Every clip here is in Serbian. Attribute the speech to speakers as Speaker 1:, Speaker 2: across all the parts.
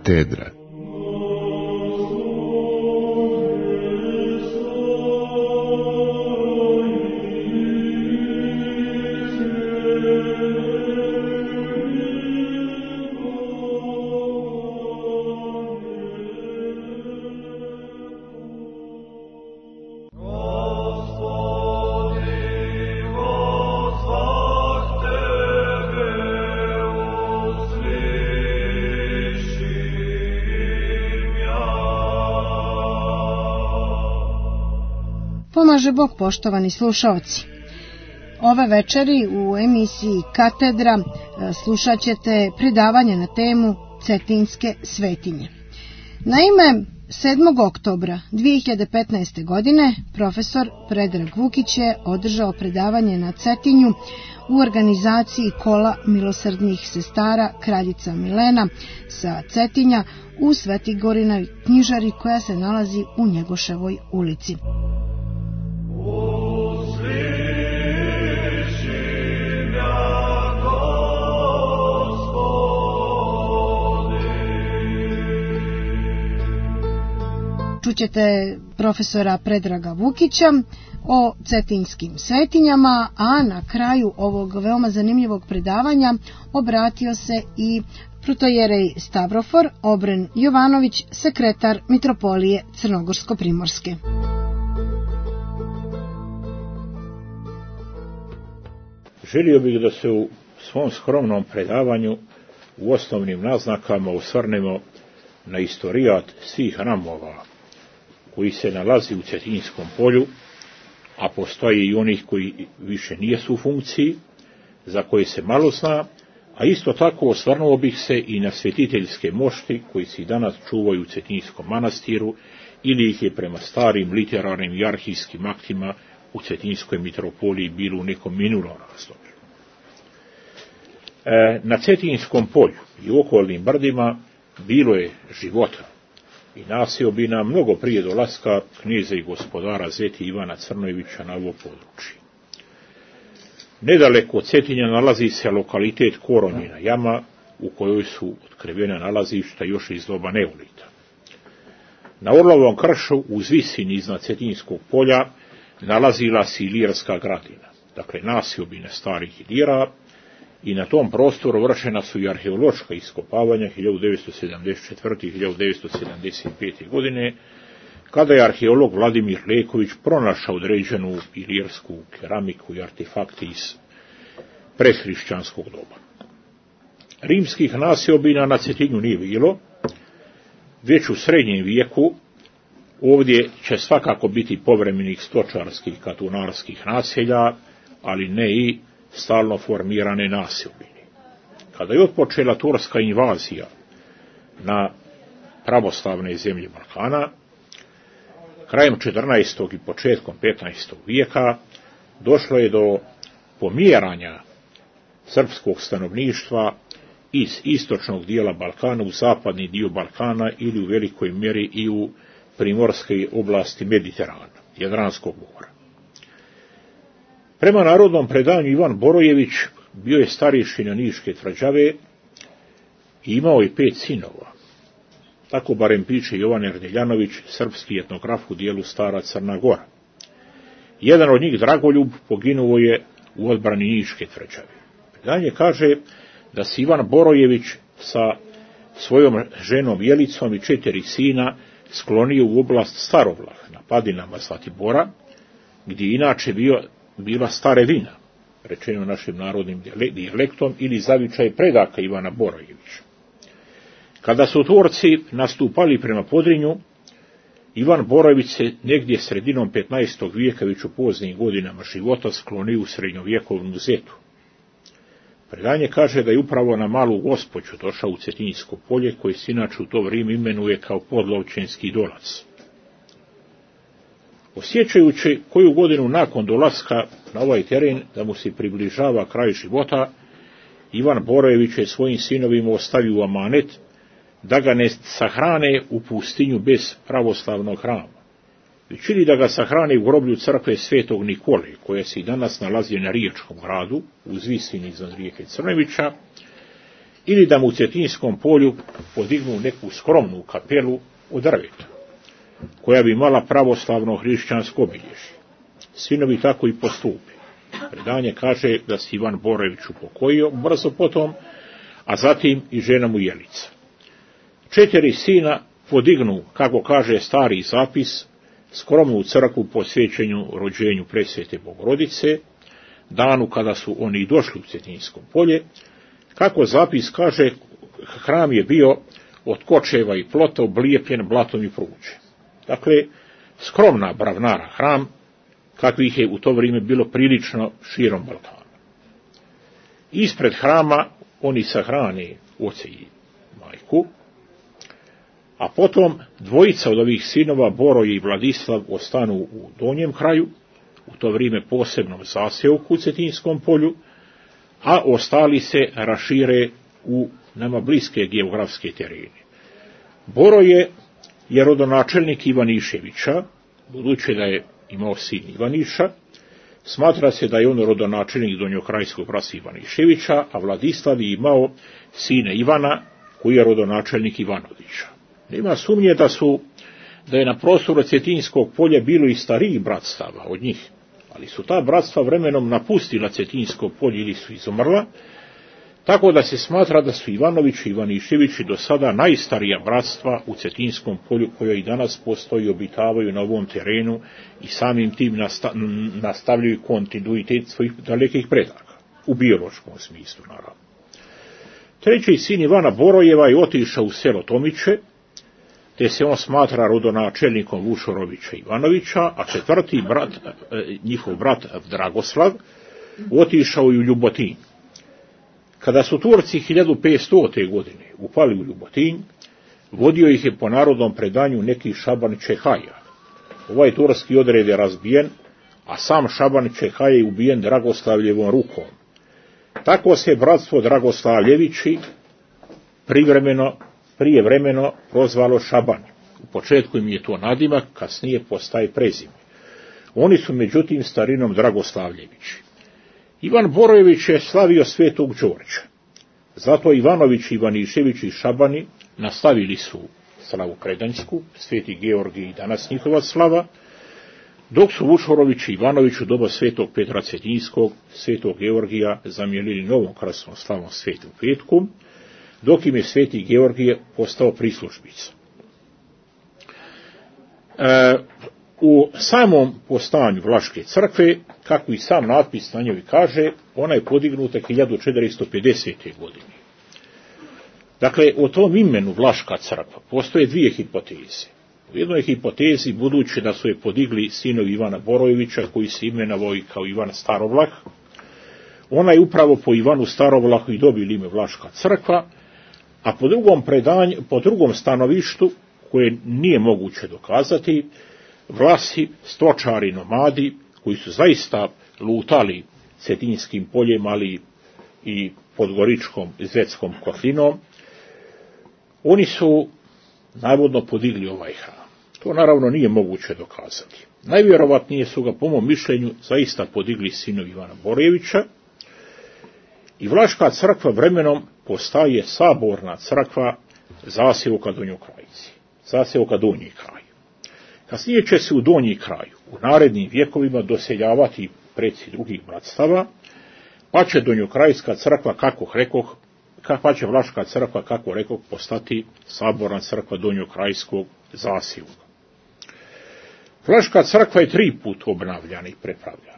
Speaker 1: Katedra.
Speaker 2: Pomaže Bog, poštovani slušaoci. Ove večeri u emisiji Katedra slušat ćete predavanje na temu Cetinjske svetinje. Naime, 7. oktobra 2015. godine profesor Predrag Vukić je održao predavanje na Cetinju u organizaciji Kola milosrdnih sestara Kraljica Milena sa Cetinja u Svetigorinoj knjižari koja se nalazi u Njegoševoj ulici. Čućete profesora Predraga Vukića o cetinjskim svetinjama, a na kraju ovog veoma zanimljivog predavanja obratio se i protojerej Stavrofor Obren Jovanović, sekretar Mitropolije Crnogorsko-Primorske.
Speaker 3: Želio bih da se u svom skromnom predavanju u osnovnim naznakama osvrnemo na istorijat svih hramova koji se nalazi u Cetinjskom polju, a postoji i onih koji više nijesu u funkciji, za koje se malo zna, a isto tako osvrnuo bih se i na svetiteljske mošti koji se i danas čuvaju u Cetinjskom manastiru ili ih je prema starim literarnim i arhivskim aktima u Cetinjskoj mitropoliji bilo u nekom minulom razdoblju. Na Cetinjskom polju i u okolnim brdima bilo je života i naseobina mnogo prije dolaska knjeza i gospodara Zeti Ivana Crnojevića na ovo područje. Nedaleko od Cetinja nalazi se lokalitet Koronjina jama, u kojoj su otkrivena nalazišta još iz doba neolita. Na Orlovom kršu uz visini iznad Cetinjskog polja nalazila se Ilirska gradina, dakle naseobine starih Ilira, i na tom prostoru vršena su i arheološka iskopavanja 1974. i 1975. godine, kada je arheolog Vladimir Leković pronašao određenu ilirsku keramiku i artefakte iz prehrišćanskog doba. Rimskih naseobina na Cetinju nije bilo, već u srednjem vijeku ovdje će svakako biti povremenih stočarskih i katunarskih naselja, ali ne i stalno formirane naseobine. Kada je otpočela turska invazija na pravoslavne zemlje Balkana, krajem 14. i početkom 15. vijeka došlo je do pomjeranja srpskog stanovništva iz istočnog dijela Balkana u zapadni dio Balkana ili u velikoj mjeri i u primorske oblasti Mediterana, Jadranskog mora. Prema narodnom predanju Ivan Borojević bio je starješina Niške tvrđave i imao je 5 sinova. Tako barem piše Jovan Erdeljanović, srpski etnograf u dijelu Stara Crna Gora. Jedan od njih, Dragoljub, poginuo je u odbrani Niške tvrđave. Predanje kaže da se Ivan Borojević sa svojom ženom Jelicom i 4 sina sklonio u oblast Starovlah na padinama Zlatibora, gdje inače bila Starevina, rečeno našim narodnim dijalektom, ili zavičaj predaka Ivana Borojevića. Kada su Turci nastupali prema Podrinju, Ivan Borojević se negdje sredinom 15. vijeka, već u poznim godinama života, sklonio u srednjovjekovnu Zetu. Predanje kaže da je upravo na Malu Gospođu došao u Cetinjsko polje, koje se inače u to vrijeme imenuje kao Podlovčenski dolac. Osjećajući koju godinu nakon dolaska na ovaj teren da mu se približava kraj života, Ivan Borojević je svojim sinovima ostavio amanet da ga ne sahrane u pustinju bez pravoslavnog hrama, već ili da ga sahrane u groblju crkve Svetog Nikole, koja se i danas nalazi na Riječkom gradu, uz visini iznad rijeke Crnevića, ili da mu u Cetinskom polju podignu neku skromnu kapelu od drveta, koja bi imala pravoslavno hrišćansko obilježje. Sinovi tako i postupi. Predanje kaže da se Ivan Borojević upokojio brzo potom, a zatim i žena mu Jelica. 4 sina podignu, kako kaže stari zapis, skromnu crkvu posvećenju rođenju presvete Bogorodice, danu kada su oni došli u Cetinsko polje. Kako zapis kaže, hram je bio od kočeva i plota oblijepljen blatom i pruđem. Dakle, skromna bravnara hram, kakvih je u to vrijeme bilo prilično širom Balkana. Ispred hrama oni sahrane oca i majku, a potom dvojica od ovih sinova, Boroje i Vladislav, ostanu u donjem kraju, u to vrijeme posebnom zaseoku u Cetinskom polju, a ostali se rašire u nama bliske geografske terene. Boroje je rodonačelnik Ivaniševića, budući da je imao sin Ivaniša, smatra se da je on rodonačelnik donjokrajskog brata Ivaniševića, a Vladislav je imao sina Ivana, koji je rodonačelnik Ivanovića. Nema sumnje da je na prostoru Cetinskog polja bilo i starijih bratstava od njih, ali su ta bratstva vremenom napustila Cetinsko polje ili su izumrla, tako da se smatra da su Ivanović i Ivaniševići do sada najstarija bratstva u Cetinskom polju, koja i danas postoji i obitavaju na ovom terenu i samim tim nastavljaju kontinuitet svojih dalekih predaka, u biološkom smislu naravno. 3. sin Ivana Borojeva je otišao u selo Tomiće, te se on smatra rodonačelnikom Vušorovića Ivanovića, a 4. brat, njihov brat Dragoslav, otišao je u Ljubotinj. Kada su Turci 1500. godine upali u Ljubotinj, vodio ih je po narodnom predanju neki Šaban Čehaja. Ovaj turski odred je razbijen, a sam Šaban Čehaj je ubijen Dragoslavljevom rukom. Tako se bratstvo Dragoslavljevići prijevremeno prozvalo Šaban. U početku im je to nadimak, kasnije postaje prezime. Oni su međutim starinom Dragoslavljevići. Ivan Borojević je slavio svetog Đorđa. Zato Ivanović, Ivanišević i Šabani nastavili su slavu predanjsku, sveti Georgij i danas njihova slava, dok su Vušorović i Ivanović u doba svetog Petra Cetinskog, svetog Georgija zamijenili novom krasnom slavom svetu petku, dok im je sveti Georgije postao prislužbica. U samom postojanju Vlaške crkve, kako i sam natpis na njoj kaže, ona je podignuta 1450. godine. Dakle, o tom imenu Vlaška crkva postoje 2 hipoteze. U jednoj hipotezi, budući da su je podigli sinovi Ivana Borojevića, koji se imenovao i kao Ivan Starovlah, ona je upravo po Ivanu Starovlahu i dobila ime Vlaška crkva, a po drugom stanovištu, koje nije moguće dokazati, Vlasi, stočari, nomadi, koji su zaista lutali Cetinskim poljem, ali i Podgoričkom i Zvetskom kotlinom, oni su navodno podigli ovaj hram. To naravno nije moguće dokazati. Najvjerovatnije su ga, po mom mišljenju, zaista podigli sinovi Ivana Borojevića, i Vlaška crkva vremenom postaje saborna crkva zaseoka Donjokrajci, zaseoka Donji kraj. Kasnije će se u Donji kraju u narednim vjekovima doseljavati preci drugih bratstava, pa će Donjokrajska crkva, pa će Vlaška crkva, kako rekoh, postati saborna crkva Donjokrajskog zaseoka. Vlaška crkva je 3 put obnavljana i prepravljana.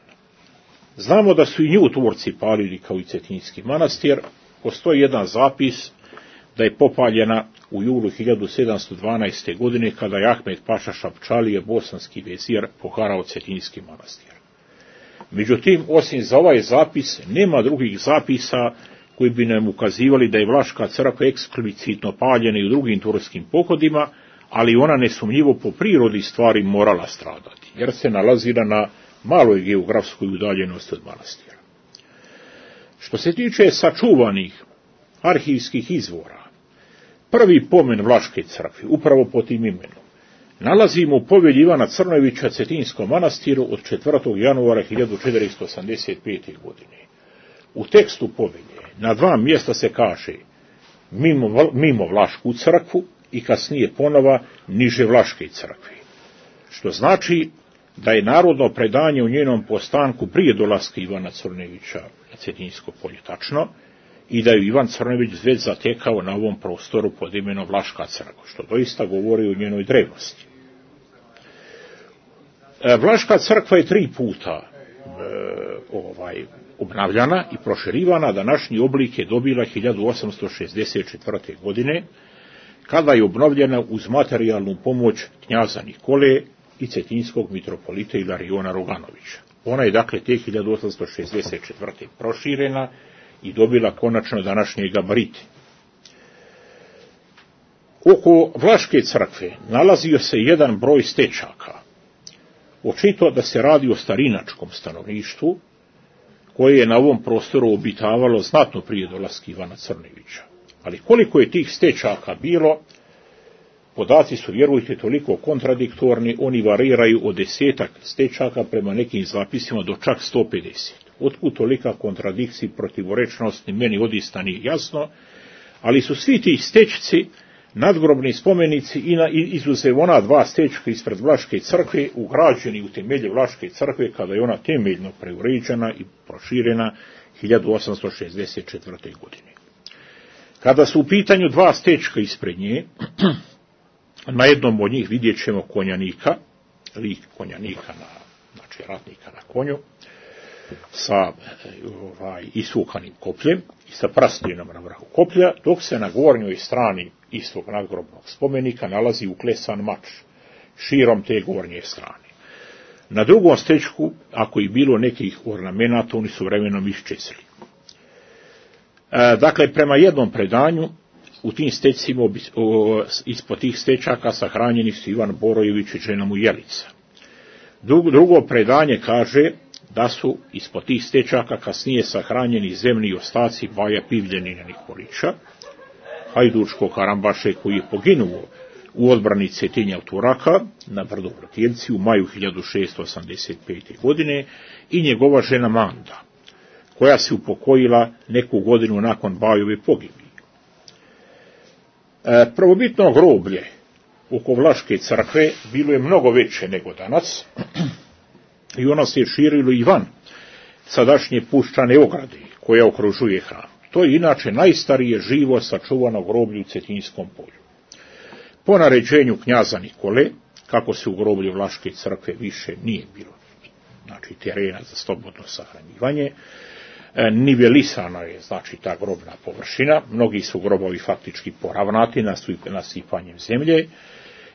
Speaker 3: Znamo da su i nju Turci palili kao i Cetinski manastir. Postoji jedan zapis da je popaljena u julu 1712. godine, kada je Ahmed Paša Šapčalije, bosanski vezir, poharao Cetinski manastir. Međutim, osim za ovaj zapis, nema drugih zapisa koji bi nam ukazivali da je Vlaška crkva eksplicitno paljena i u drugim turskim pohodima, ali ona nesumnjivo po prirodi stvari morala stradati, jer se nalazila na maloj geografskoj udaljenosti od manastira. Što se tiče sačuvanih arhivskih izvora, prvi pomen Vlaške crkve, upravo pod tim imenom, nalazimo u povelji Ivana Crnojevića Cetinskom manastiru od 4. januara 1485. godine. U tekstu povelje na 2 mjesta se kaže: mimo Vlašku crkvu i kasnije ponova niže Vlaške crkve. Što znači da je narodno predanje u njenom postanku prije dolaska Ivana Crnojevića na Cetinjsko polje tačno i da je Ivan Crnojević već zatekao na ovom prostoru pod imenom Vlaška crkva, što doista govori o njenoj drevnosti. Vlaška crkva je 3 puta obnavljana i proširivana, današnji oblik je dobila 1864. godine, kada je obnovljena uz materijalnu pomoć knjaza Nikole i cetinjskog mitropolita Ilariona Roganovića. Ona je dakle te 1864. proširena i dobila konačno današnje gabarite. Oko Vlaške crkve nalazio se jedan broj stečaka. Očito da se radi o starinačkom stanovništvu, koje je na ovom prostoru obitavalo znatno prije dolaska Ivana Crnojevića. Ali koliko je tih stečaka bilo, podaci su, vjerujte, toliko kontradiktorni, oni variraju od 10 stečaka prema nekim zapisima do čak 150. Otkud tolika kontradikcija, protivorečnost, meni odista nije jasno, ali su svi ti stečci nadgrobni spomenici i izuzev ona 2 stečka ispred Vlaške crkve ugrađeni u temelje Vlaške crkve kada je ona temeljno preuređena i proširena 1864. godine. Kada su u pitanju 2 stečka ispred nje, na jednom od njih vidjet ćemo konjanika, lik konjanika, znači ratnika na konju, sa isukanim kopljem i sa prastinom na vrhu koplja, dok se na gornjoj strani istog nadgrobnog spomenika nalazi uklesan mač širom te gornje strane. Na drugom stečku, ako je bilo nekih ornamenata, oni su vremenom iščezli. Dakle, prema jednom predanju, u tim stečcima, ispod tih stečaka sahranjeni su Ivan Borojević i žena mu Jelica. Drugo predanje kaže da su ispod tih stečaka kasnije sahranjeni zemni ostaci Baja Pivljenina Nikolića, hajdučkog karambaše koji je poginuo u odbrani Cetinja od Turaka na brdu Vrtjelci u maju 1685. godine i njegova žena Manda, koja se upokojila neku godinu nakon Bajove pogibije. Prvobitno groblje oko Vlaške crkve bilo je mnogo veće nego danas i ono se širilo i van sadašnje puščane ograde koja okružuje hram. To je inače najstarije živo sačuvano groblje u Cetinjskom polju. Po naređenju knjaza Nikole, kako se u groblju Vlaške crkve više nije bilo, znači terena za slobodno sahranjivanje, nivelisana je, znači, ta grobna površina, mnogi su grobovi faktički poravnati nasipanjem zemlje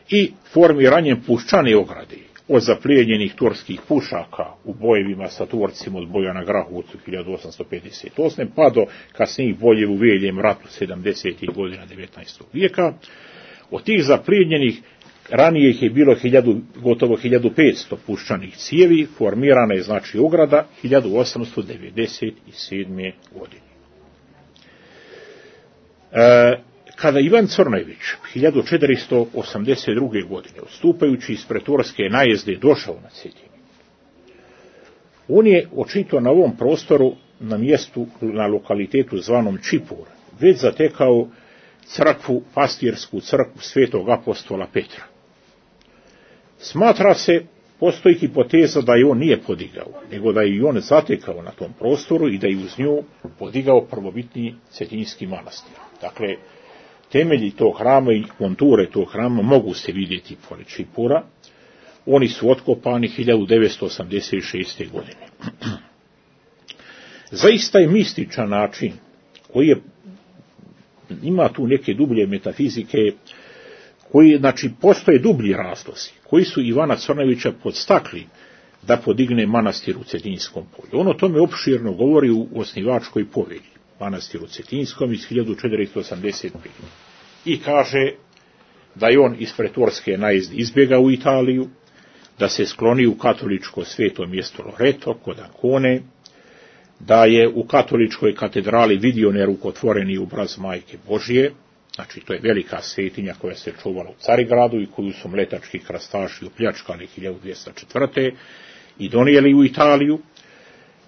Speaker 3: i formiranjem puščane ograde od zaplijenjenih turskih pušaka u bojevima sa Turcima od boja na Grahovcu 1858. pa do kasnijih bojeva u Veljem ratu 70. godina 19. vijeka. Od tih zaplijenjenih ranije ih je bilo gotovo 1500 puščanih cijevi, formirana je znači ograda 1897. godine. Kada Ivan Crnojević 1482. godine, odstupajući ispred turske najezde, došao na Cetinje, on je očito na ovom prostoru, na mjestu, na lokalitetu zvanom Čipur, već zatekao crkvu, pastirsku crkvu svetog apostola Petra. Smatra se, postoji hipoteza da je on nije podigao, nego da je i on zatekao na tom prostoru i da je uz nju podigao prvobitni Cetinjski manastir. Dakle, temelji tog hrama i konture tog hrama mogu se vidjeti pored Čipura. Oni su otkopani 1986. godine. Zaista je mističan način koji je, ima tu neke dublje metafizike, koji, znači, postoje dublji razlozi, koji su Ivana Crnojevića podstakli da podigne manastir u Cetinjskom polju. On o tome opširno govori u osnivačkoj povelji, manastiru Cetinjskom iz 1485. I kaže da je on ispred turske najezde izbjegao u Italiju, da se skloni u katoličko sveto mjesto Loreto kod Ancone, da je u katoličkoj katedrali vidio nerukotvoreni obraz Majke Božje, znači to je velika svetinja koja se čuvala u Carigradu i koju su mletački krastaši opljačkali 1204. i donijeli u Italiju,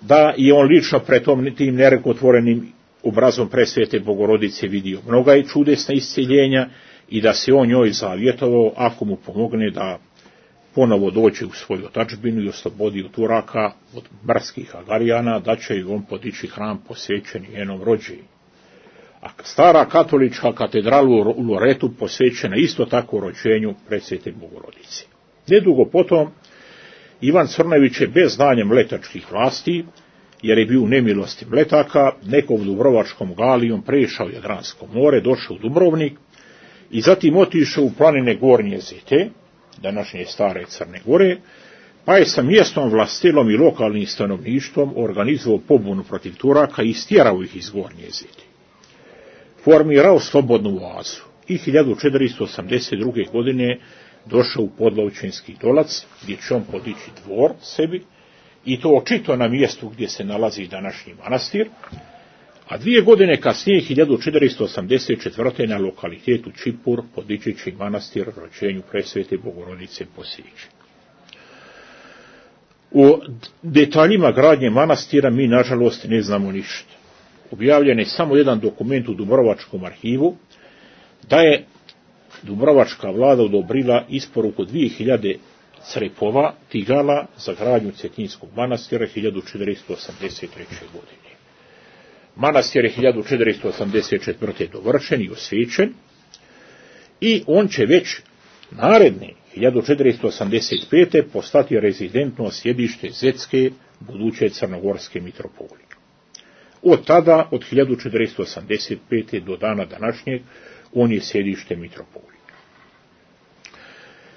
Speaker 3: da je on lično pred tim nerukotvorenim obrazom presvete Bogorodice vidio mnoga i čudesna isceljenja i da se on njoj zavjetovao ako mu pomogne da ponovo dođe u svoju otadžbinu i oslobodi od Turaka, od barskih Agarijana, da će ju on podići hram posvećen njenom rođenju. A stara katolička katedrala u Loretu posvećena isto tako rođenju presvete Bogorodice. Nedugo potom Ivan Crnojević je bez znanja mletačkih vlasti, jer je bio u nemilosti mletaka, nekom dubrovačkom galijom prešao Jadransko more, došao u Dubrovnik i zatim otišao u planine Gornje Zete, današnje stare Crne Gore, pa je sa mjestom vlastilom i lokalnim stanovništvom organizovao pobunu protiv Turaka i istjerao ih iz Gornje Zete. Formirao slobodnu oazu i 1482. godine došao u Podlavčinski Dolac, gdje će on podići dvor sebi, i to očito na mjestu gdje se nalazi današnji manastir, a 2 godine kasnije, 1484. na lokalitetu Čipur podići će manastir rođenju presvete Bogorodice posvećen. O detaljima gradnje manastira mi, nažalost, ne znamo ništa. Objavljen je samo jedan dokument u Dubrovačkom arhivu, da je Dubrovačka vlada odobrila isporuku 2000 crepova, tigala za gradnju Cetinskog manastira 1483. godine. Manastir je 1484. dovršen i osvećen i on će već naredne 1485. postati rezidentno sjedište Zetske, buduće crnogorske mitropolije. Od tada, od 1485. do dana današnjeg, on je sjedište mitropolije.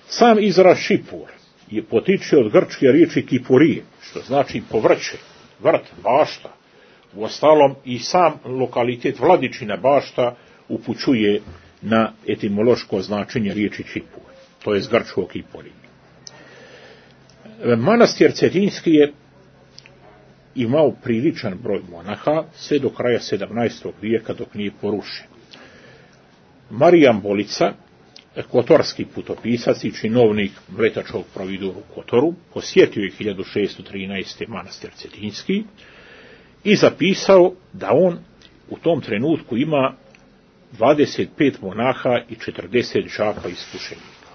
Speaker 3: Sam izraz Čipur je potiče od grčke riječi kipurije, što znači povrće, vrt, bašta. Uostalom i sam lokalitet Vladičina bašta upućuje na etimološko značenje riječi Čipur, to je s grčkog kipurije. Manastir Cetinski je imao priličan broj monaha sve do kraja 17. vijeka dok nije porušen. Marijan Bolica, kotorski putopisac i činovnik mletačkog providoru u Kotoru, posjetio je 1613. manastir Cetinski i zapisao da on u tom trenutku ima 25 monaha i 40 đaka iskušenika.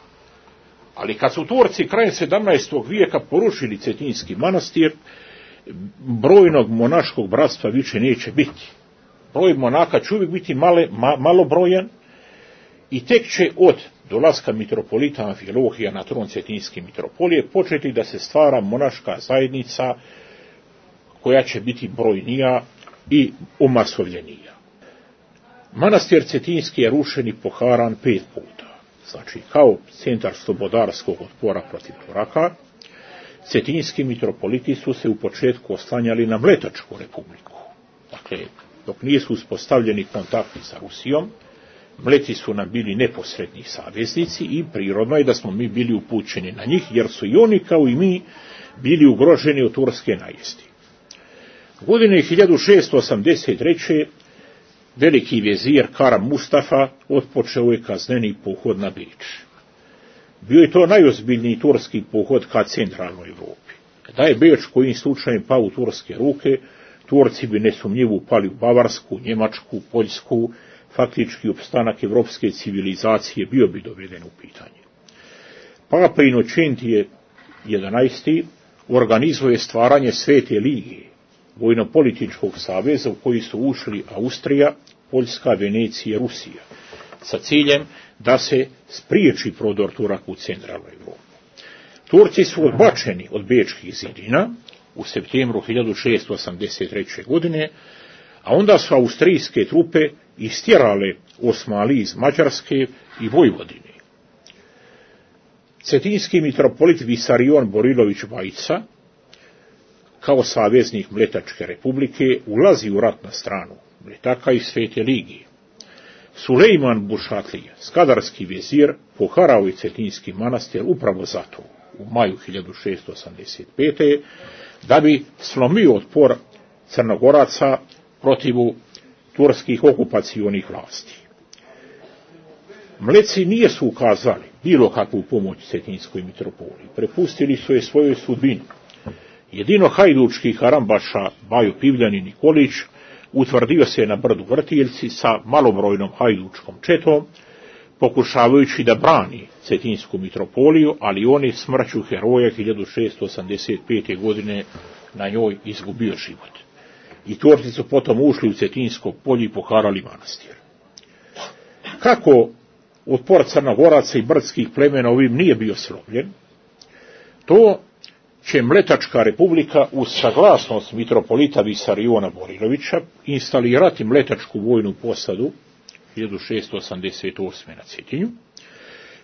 Speaker 3: Ali kad su Turci krajem 17. vijeka porušili Cetinski manastir, brojnog monaškog bratstva više neće biti. Broj monaka će uvijek biti malobrojan i tek će od dolaska mitropolita Amfilohija na tron Cetinske mitropolije početi da se stvara monaška zajednica koja će biti brojnija i omasovljenija. Manastir Cetinski je rušen i poharan 5 puta. Znači, kao centar slobodarskog otpora protiv Turaka, Cetinski mitropoliti su se u početku oslanjali na Mletačku republiku. Dakle, dok nisu uspostavljeni kontakti sa Rusijom, Mleti su nam bili neposredni saveznici i prirodno je da smo mi bili upućeni na njih, jer su i oni kao i mi bili ugroženi od turske najesti. Godine 1683. veliki vezir Karam Mustafa otpočeo je kazneni pohod na Beč. Bio je to najozbiljniji turski pohod ka centralnoj Europi. Da je Beč kojim slučajem pao u turske ruke, Turci bi nesumnjivo upali u Bavarsku, Njemačku, Poljsku, faktički opstanak evropske civilizacije bio bi doveden u pitanje. Papa Inocentije 11. organizuje stvaranje Svete lige, vojno-političkog saveza u koji su ušli Austrija, Poljska, Venecija i Rusija, sa ciljem da se spriječi prodor Turaka u centralnu Europu. Turci su odbačeni od bečkih zidina u septembru 1683. godine, a onda su austrijske trupe istjerale Osmali iz Mađarske i Vojvodine. Cetinski mitropolit Visarion Borilović Vajca, kao saveznik Mletačke republike, ulazi u rat na stranu Mletaka i Svete lige. Sulejman Bušatlija, skadarski vezir, poharao je Cetinski manastir upravo zato, u maju 1685. da bi slomio otpor Crnogoraca protiv turskih okupacionih vlasti. Mleci nije su ukazali bilo kakvu pomoć Cetinskoj mitropoliji, prepustili su je svojoj sudbini. Jedino hajdučki harambaša Bajo Pivljan i Nikolić utvrdio se na brdu Vrtiljci sa malobrojnom hajdučkom četom, pokušavajući da brani Cetinsku mitropoliju, ali on je smrću heroja 1685. godine na njoj izgubio život. I Turci su potom ušli u Cetinsko polje i poharali manastir. Kako otpor Crnogoraca i brdskih plemena ovim nije bio slomljen, to će Mletačka republika uz saglasnost mitropolita Visariona Borilovića instalirati Mletačku vojnu posadu 1688. na Cetinju,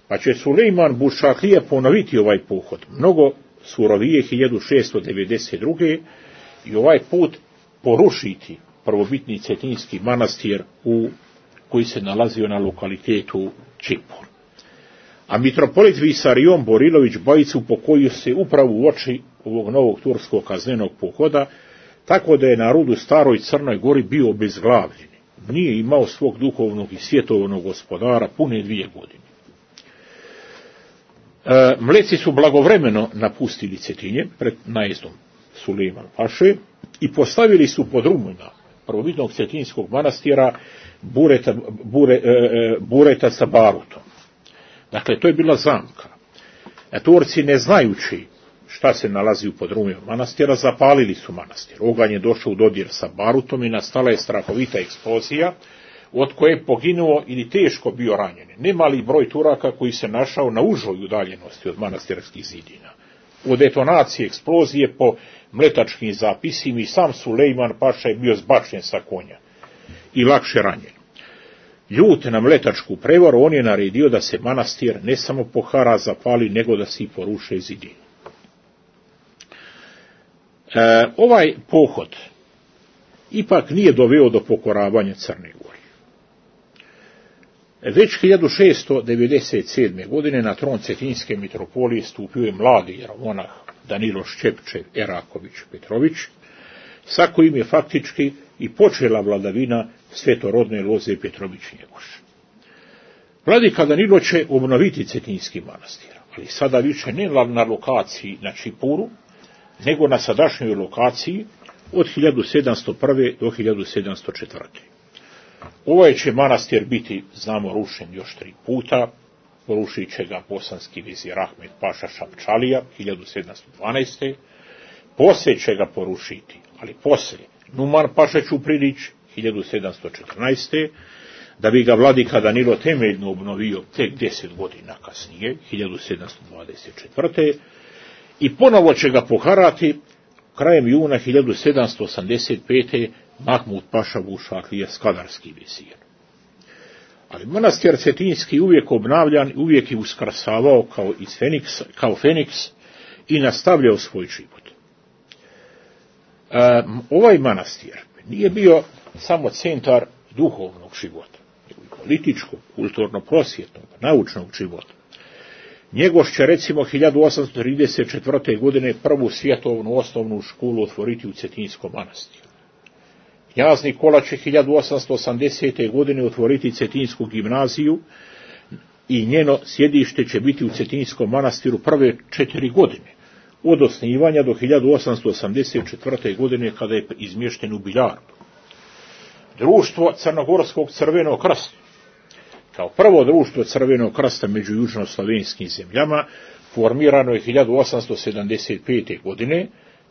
Speaker 3: pa će Sulejman Bušaklija ponoviti ovaj pohod mnogo surovije 1692. i ovaj put porušiti prvobitni cetinski manastir koji se nalazio na lokalitetu Čipur. A mitropolit Visarion Borilović Bajicu upokojio se upravo u oči ovog novog turskog kaznenog pohoda, tako da je narod u staroj Crnoj Gori bio obezglavljen. Nije imao svog duhovnog i svjetovnog gospodara pune 2 godine. Mleci su blagovremeno napustili Cetinje pred najezdom Sulejman Paše i postavili su pod rumuna prvobitnog cetinskog manastira bureta sa barutom. Dakle, to je bila zamka. Turci, ne znajući šta se nalazi u podrumima manastira, zapalili su manastir. Oganj je došao u dodir sa barutom i nastala je strahovita eksplozija, od koje je poginuo ili teško bio ranjen nemali broj Turaka koji se našao na užoj udaljenosti od manastirskih zidina. U detonaciji eksplozije po mletačkim zapisima i sam Sulejman Paša je bio zbačen sa konja i lakše ranjen. Ljut na mletačku prevaru, on je naredio da se manastir ne samo pohara, zapali, nego da se i poruše zidine. Ovaj pohod ipak nije doveo do pokoravanja Crne Gore. Već 1697. godine na tron Cetinske mitropolije stupio je mladi jeromonah Danilo Šćepčev Eraković Petrović, sa kojim je faktički i počela vladavina svetorodne loze Petrović-Njegoš. Vladika Danilo će obnoviti Cetinski manastir, ali sada više ne na lokaciji na Čipuru, nego na sadašnjoj lokaciji od 1701. do 1704. Ovaj će manastir biti, znamo, rušen još 3 puta. Porušit će ga bosanski vizir Ahmed Paša Šapčalija 1712. Poslije će ga porušiti, ali poslije, Numan Paša Ćuprilić 1714. Da bi ga vladika Danilo temeljno obnovio tek 10 godina kasnije, 1724. I ponovo će ga poharati krajem juna 1785. Mahmud Paša Bušaklija Skadarski vizir. Ali manastir Cetinski uvijek obnavljan, uvijek je uskrasavao kao Feniks i nastavljao svoj život. Ovaj manastir nije bio samo centar duhovnog života, nego i političkog, kulturno-prosvjetnog, naučnog života. Njegoš će recimo 1834. godine prvu svjetovnu osnovnu školu otvoriti u Cetinskom manastiru. Knjaz Nikola će 1880. godine otvoriti Cetinsku gimnaziju i njeno sjedište će biti u Cetinskom manastiru prve 4 godine, od osnivanja do 1884. godine kada je izmješten u Biljardu. Društvo Crnogorskog crvenog krsta, kao prvo društvo Crvenog krsta među južnoslovenskim zemljama, formirano je 1875. godine.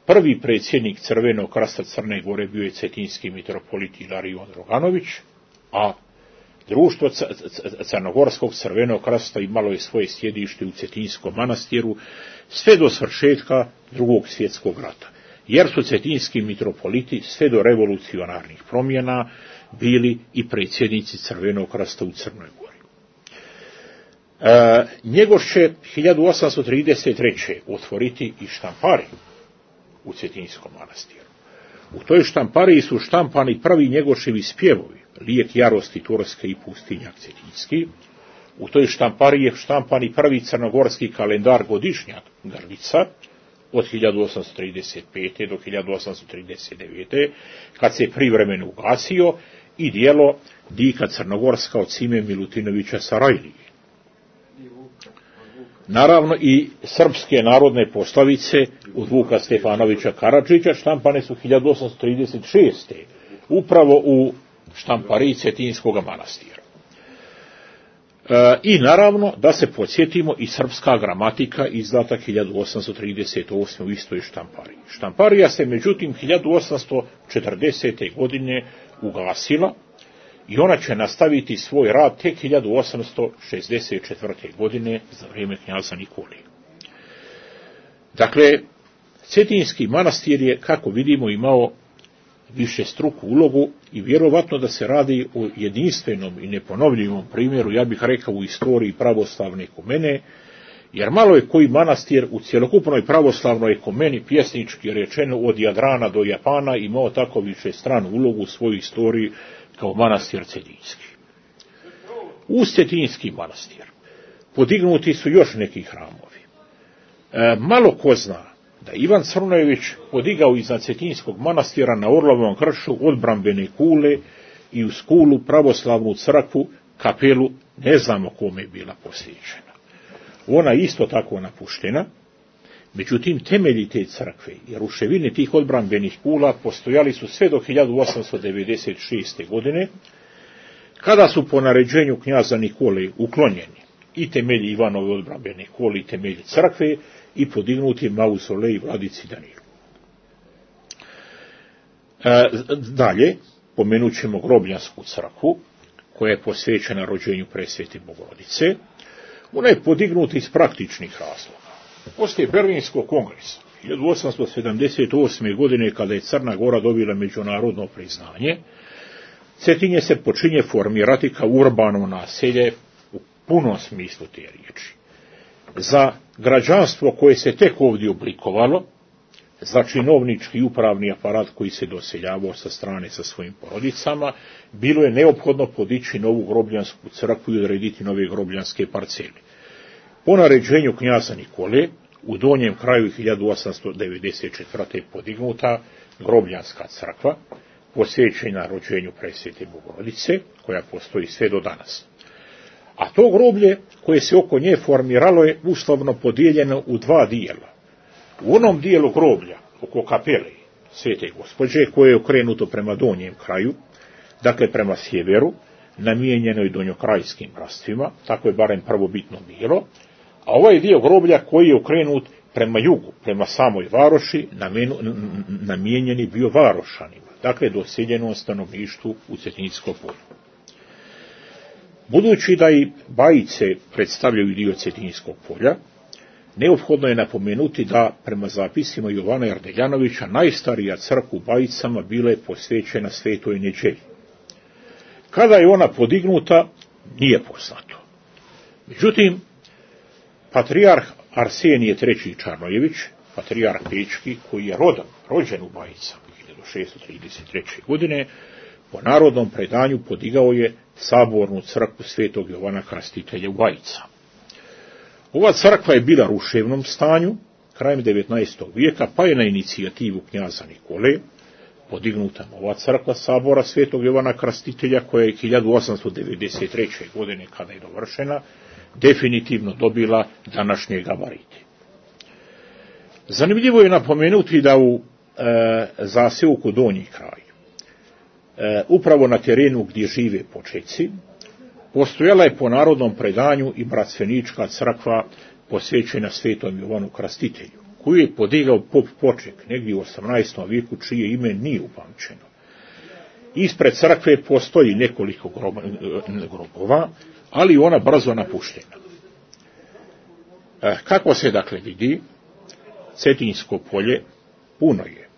Speaker 3: Prvi predsjednik Crvenog krsta Crne Gore bio je cetinski mitropolit Ilarion Roganović, a društvo Crnogorskog crvenog krsta imalo je svoje sjedište u Cetinskom manastiru sve do svršetka Drugog svjetskog rata, jer su cetinski mitropoliti sve do revolucionarnih promjena bili i predsjednici Crvenog krsta u Crnoj Gori. Njegoš će 1833. otvoriti i štampariju u Cetinskom manastiru. U toj štampariji su štampani prvi Njegoševi spjevovi, Lijek jarosti Turske i Pustinjak Cetinski. U toj štampariji je štampan i prvi crnogorski kalendar godišnjak Grlica od 1835. do 1839. kad se privremeno ugasio, i dijelo Dika Crnogorska od Sime Milutinovića Sarajlije. Naravno i srpske narodne poslovice od Vuka Stefanovića Karadžića štampane su 1836. upravo u štampariji Cetinskog manastira. I naravno da se podsjetimo i srpska gramatika izdata 1838. u istoj štampariji. Štamparija se međutim 1840. godine ugasila i ona će nastaviti svoj rad tek 1864. godine za vrijeme knjaza Nikolija. Dakle, Cetinski manastir je, kako vidimo, imao višestruku ulogu i vjerovatno da se radi o jedinstvenom i neponovljivom primjeru, ja bih rekao, u istoriji pravoslavne ekumene, jer malo je koji manastir u cjelokupnoj pravoslavnoj ekumeni, pjesnički rečeno od Jadrana do Japana, imao tako višestranu ulogu u svojoj istoriji kao manastir Cetinski. Uz Cetinski manastir podignuti su još neki hramovi. Malo ko zna da Ivan Crnojević podigao iznad Cetinskog manastira na Orlovom kršu odbrambene kule i uz kulu pravoslavnu crkvu, kapelu, ne znamo kome je bila posvećena. Ona je isto tako napuštena, međutim temelji te crkve i ruševine tih odbrambenih kula postojali su sve do 1896. godine, kada su po naređenju knjaza Nikole uklonjeni i temelji Ivanove odbrambene kule i temelji crkve i podignuti mauzolej vladici Danilu. Dalje, pomenut ćemo Grobljansku crkvu, koja je posvećena rođenju Presvete Bogorodice. Ona je podignuta iz praktičnih razloga. Poslije Berlinskog kongresa 1878. godine, kada je Crna Gora dobila međunarodno priznanje, Cetinje se počinje formirati kao urbano naselje u punom smislu te riječi. Za građanstvo koje se tek ovdje oblikovalo, za činovnički i upravni aparat koji se doseljavao sa strane sa svojim porodicama, bilo je neophodno podići novu Grobljansku crkvu i odrediti nove grobljanske parcele. Po naređenju knjaza Nikole, u donjem kraju 1894. podignuta Grobljanska crkva, posvećena rođenju Presvete Bogorodice, koja postoji sve do danas. A to groblje koje se oko nje formiralo je uslovno podijeljeno u dva dijela. U onom dijelu groblja oko kapele Svete Gospođe, koje je okrenuto prema donjem kraju, dakle prema sjeveru, namijenjenoj donjokrajskim brstvima, tako je barem prvobitno bilo, a ovaj dio groblja koji je okrenut prema jugu, prema samoj varoši, namijenjeni bio varošanima, dakle doseljenom stanovništvu u Cetinjskom polju. Budući da i Bajice predstavljaju dio Cetinjskog polja, neophodno je napomenuti da, prema zapisima Jovana Jardeljanovića, najstarija crkva u Bajicama bila je posvećena Svetoj Neđelji. Kada je ona podignuta, nije poznato. Međutim, patrijarh Arsenije III. Čarnojević, patrijarh Pečki, koji je rođen u Bajicama 1633. godine, po narodnom predanju podigao je sabornu crkvu Svetog Jovana Krstitelja u Bajicama. Ova crkva je bila u ruševnom stanju krajem 19. vijeka, pa je na inicijativu knjaza Nikole podignuta nova crkva sabora Svetog Jovana Krstitelja, koja je 1893. godine, kada je dovršena, definitivno dobila današnje gabarite. Zanimljivo je napomenuti da u zaseoku Donji kraj, upravo na terenu gdje žive Počeci, postojala je po narodnom predanju i bratstvenička crkva posvećena Svetom Jovanu Krstitelju, koju je podigao pop Poček negdje u 18. vijeku, čije ime nije upamćeno. Ispred crkve postoji nekoliko grobova, ali ona brzo napuštena. Kako se dakle vidi, Cetinjsko polje puno je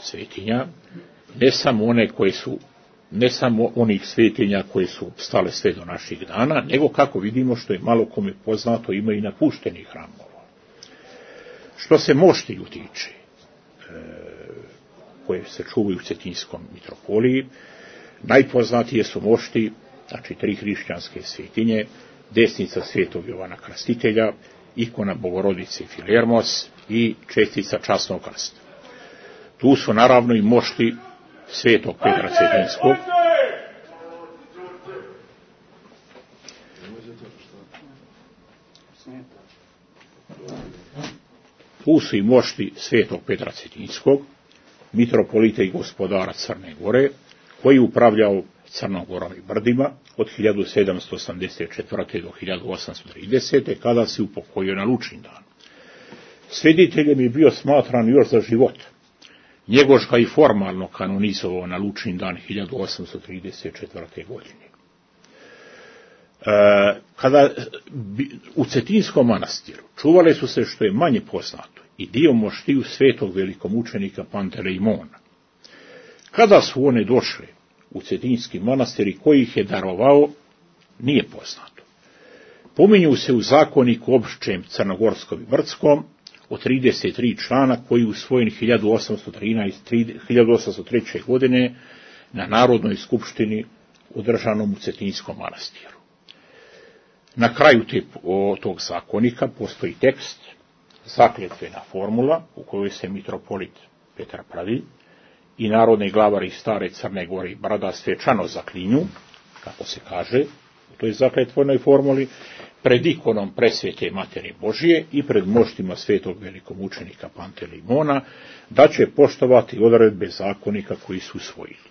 Speaker 3: svetinja, ne samo onih svetinja koje su stale sve do naših dana, nego, kako vidimo, što je malo kome poznato, ima i napuštenih hramova. Što se moštiju tiče, koje se čuvaju u Cetinjskom mitropoliji, najpoznatije su mošti, znači 3 hrišćanske svetinje, desnica Svetog Jovana Krstitelja, ikona Bogorodice Filermos i čestica časnog krsta. Tu su naravno i mošti Svetog Petra Cetinjskog, tu su i mošti Svetog Petra Cetinjskog, mitropolita i gospodara Crne Gore, koji je upravljao Crnom Gorom i Brdima od 1784. do 1830. kada se upokojio na Lučindan. Svediteljem je bio smatran još za život. Njegoš ga i formalno kanonizovao na Lučindan 1834. godine. Kada u Cetinskom manastiru čuvale su se, što je manje poznato, i dio moštiju svetog velikomučenika Pantelejmona. Kada su one došle u Cetinski manastir i koji ih je darovao, nije poznato. Pominju se u zakoniku opšćem crnogorskom i brdskom od 33 člana koji je usvojen 1803. godine na Narodnoj skupštini održanom u Cetinskom manastiru. Na kraju tog zakonika postoji tekst, zakletvena formula u kojoj se mitropolit Petar Pravilj i narodni glavari stare Crne Gore i Brda svečano zaklinju, kako se kaže u toj zakletvenoj formuli, pred ikonom presvete Materi Božije i pred moštima svetog velikomučenika Pantelejmona, da će poštovati odredbe zakonika koji su usvojili.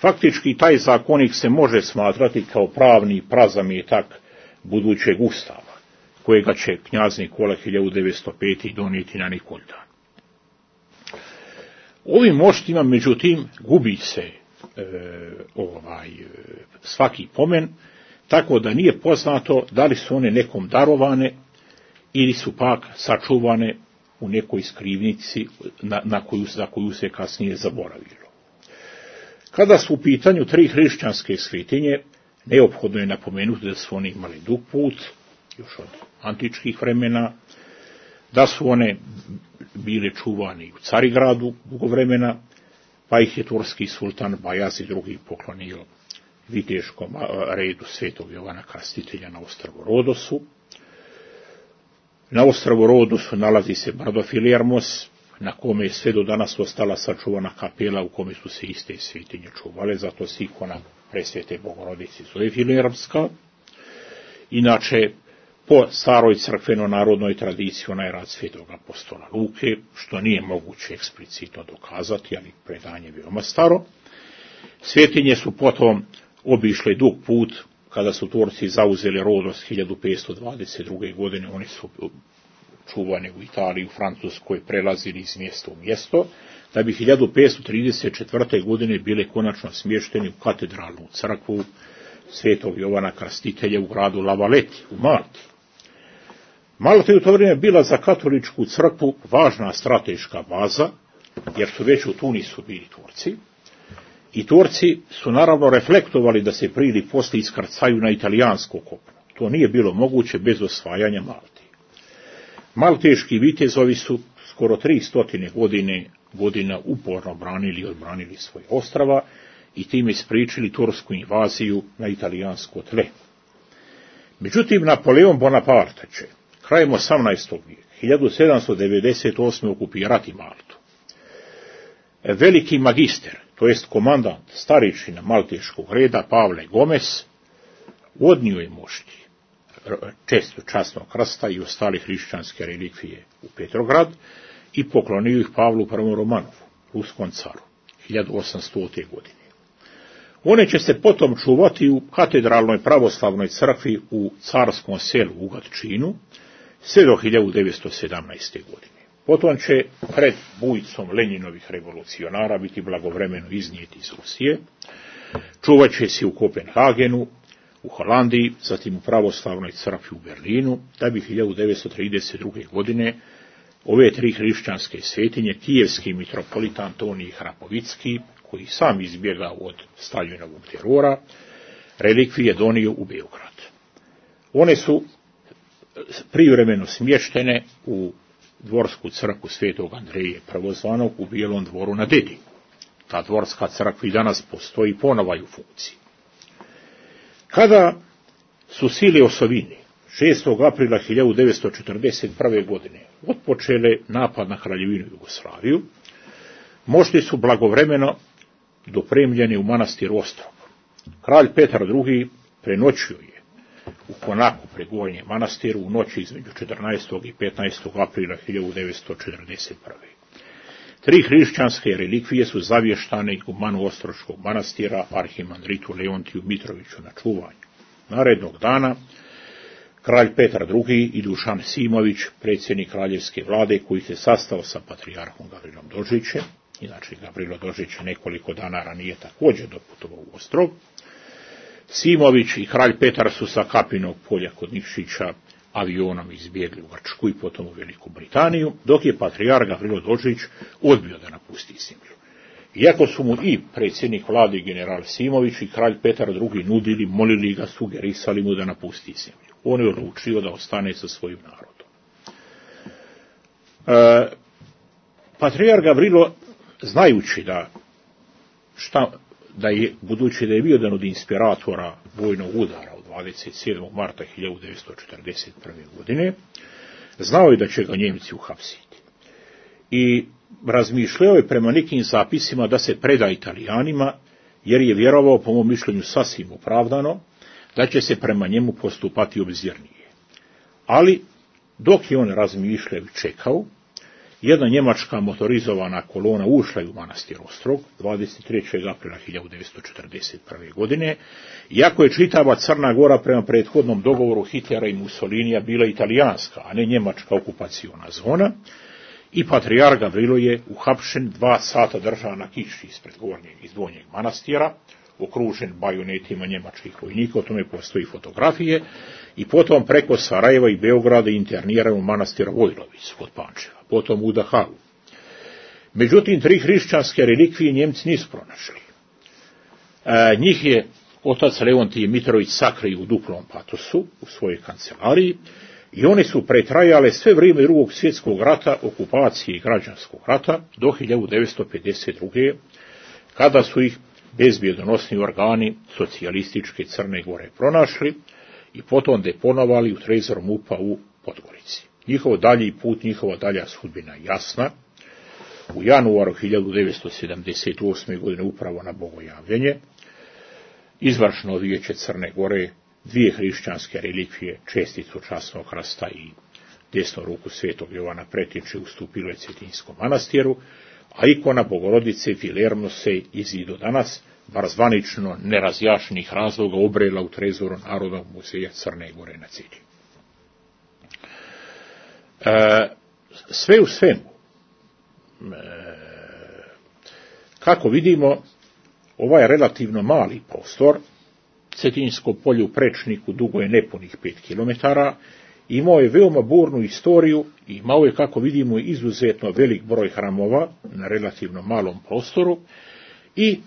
Speaker 3: Faktički taj zakonik se može smatrati kao pravni prazamjetak budućeg ustava, kojega će knjaz Nikola 1905. donijeti na Nikoldan. Ovim moštima, međutim, gubi se svaki pomen, tako da nije poznato da li su one nekom darovane ili su pak sačuvane u nekoj skrivnici za koju se kasnije zaboravilo. Kada su u pitanju 3 hrišćanske svetinje, neophodno je napomenuti da su oni imali dug put, još od antičkih vremena, da su one bile čuvani u Carigradu dugo vremena, pa ih je turski sultan Bajazi II. Poklonio viteškom redu svetog Jovana Krstitelja na ostrvu Rodosu. Na ostrvu Rodosu nalazi se brdo Filermos, na kome je sve do danas ostala sačuvana kapela u kome su se iste svetinje čuvale, zato se ikona presvete Bogorodice zove Filermska. Inače, po staroj crkveno-narodnoj tradiciji ona je rad svetog apostola Luke, što nije moguće eksplicitno dokazati, ali predanje je veoma staro. Svetinje su potom obišle dug put, kada su Turci zauzeli Rodos 1522. godine, oni su čuvani u Italiji, u Francuskoj, prelazili iz mjesta u mjesto, da bi 1534. godine bile konačno smješteni u katedralnu crkvu svetog Jovana Krstitelja u gradu Lavaleti, u Malti. Malta je u to vrijeme bila za katoličku crkvu važna strateška baza, jer su već u Tunisu bili Turci, i Turci su naravno reflektovali da se prije ili poslije iskrcaju na italijansko kopno. To nije bilo moguće bez osvajanja Malte. Malteški vitezovi su skoro 300 godina uporno branili i odbranili svoje ostrava i time spriječili tursku invaziju na italijansko tle. Međutim, Napoleon Bonaparte će krajem 18. vijeka, 1798. okupirati Maltu. Veliki magister, to jest komandant starešina malteškog reda Pavle Gomez, odnio je mošti često časnog krsta i ostale hrišćanske relikvije u Petrograd i poklonio ih Pavlu I. Romanovu, ruskom caru, 1800. godine. One će se potom čuvati u katedralnoj pravoslavnoj crkvi u carskom selu u Gatčinu sve do 1917. godine. Potom će pred bujicom Lenjinovih revolucionara biti blagovremeno iznijeti iz Rusije, čuvat će se u Kopenhagenu, u Holandiji, zatim u pravoslavnoj crkvi u Berlinu, da bi 1932. godine ove 3 hrišćanske svetinje, kijevski mitropolit Antonij Hrapovicki, koji sam izbjegao od Staljinovog terora, relikvije donio u Beograd. One su privremeno smještene u dvorsku crkvu svetog Andreje Prvozvanog u Bijelom dvoru na Dedi. Ta dvorska crkva i danas postoji ponovo u funkciji. Kada su sile osovine 6. aprila 1941. godine otpočele napad na Kraljevinu Jugoslaviju, mošti su blagovremeno dopremljeni u manastir Ostrog. Kralj Petar II. Prenoćio je u Konaku pri Gornjem manastiru u noći između 14. i 15. aprila 1941. 3 hrišćanske relikvije su zavještane igumanu Ostroškog manastira, arhimandritu Leontiju Mitroviću na čuvanju. Narednog dana kralj Petar II. I Dušan Simović, predsjednik kraljevske vlade, koji se sastao sa patrijarhom Gavrilom Dožićem, inače Gavrilo Dožić je nekoliko dana ranije također doputovao u Ostrog, Simović i kralj Petar su sa Kapinog polja kod Nikšića avionom izbjegli u Grčku i potom u Veliku Britaniju, dok je patrijarh Gavrilo Dožić odbio da napusti zemlju. Iako su mu i predsjednik vlade general Simović i kralj Petar II. Nudili, molili ga, sugerisali mu da napusti zemlju, on je odlučio da ostane sa svojim narodom. Patrijarh Gavrilo, znajući budući da je bio jedan od inspiratora vojnog udara od 27. marta 1941. godine, znao je da će ga Njemci uhapsiti. I razmišljao je prema nekim zapisima da se preda Italijanima, jer je vjerovao, po mom mišljenju sasvim opravdano, da će se prema njemu postupati obzirnije. Ali, dok je on razmišljao i čekao, jedna njemačka motorizovana kolona ušla je u manastir Ostrog 23. aprila 1941. godine, iako je čitava Crna Gora prema prethodnom dogovoru Hitlera i Mussolinija bila italijanska, a ne njemačka okupaciona zona, i patrijarh Gavrilo je uhapšen 2 sata držan na kiši ispred gornjeg i donjeg manastira, okružen bajonetima njemačkih vojnika, o tome postoji fotografije, i potom preko Sarajeva i Beograda interniran u manastir Vojlović kod Pančeva, potom u Dahavu. Međutim, 3 hrišćanske relikvije Njemci nisu pronašli. Njih je otac Leontije Mitrović sakrio u duplom patosu u svojoj kancelariji i one su pretrajale sve vrijeme Drugog svjetskog rata, okupacije i građanskog rata do 1952. kada su ih bezbjedonosni organi socijalističke Crne Gore pronašli i potom deponovali u trezor MUP-a u Podgorici. Njihov dalji put, njihova dalja sudbina jasna. U januaru 1978. godine, upravo na bogojavljenje, izvršno vijeće Crne Gore 2 hrišćanske relikvije, česticu časnog krsta i desnu ruku svetog Jovana Pretinče ustupilo je Cetinjskom manastiru, a ikona Bogorodice Filermo se i do danas, bar zvanično nerazjašnjenih razloga, obrela u trezoru Narodnog muzeja Crne Gore na Cetinju. Sve u svemu, kako vidimo, ovaj relativno mali prostor, Cetinjsko polje u Prečniku dugo je nepunih 5 km, imao je veoma burnu istoriju i imao je, kako vidimo, izuzetno velik broj hramova na relativno malom prostoru i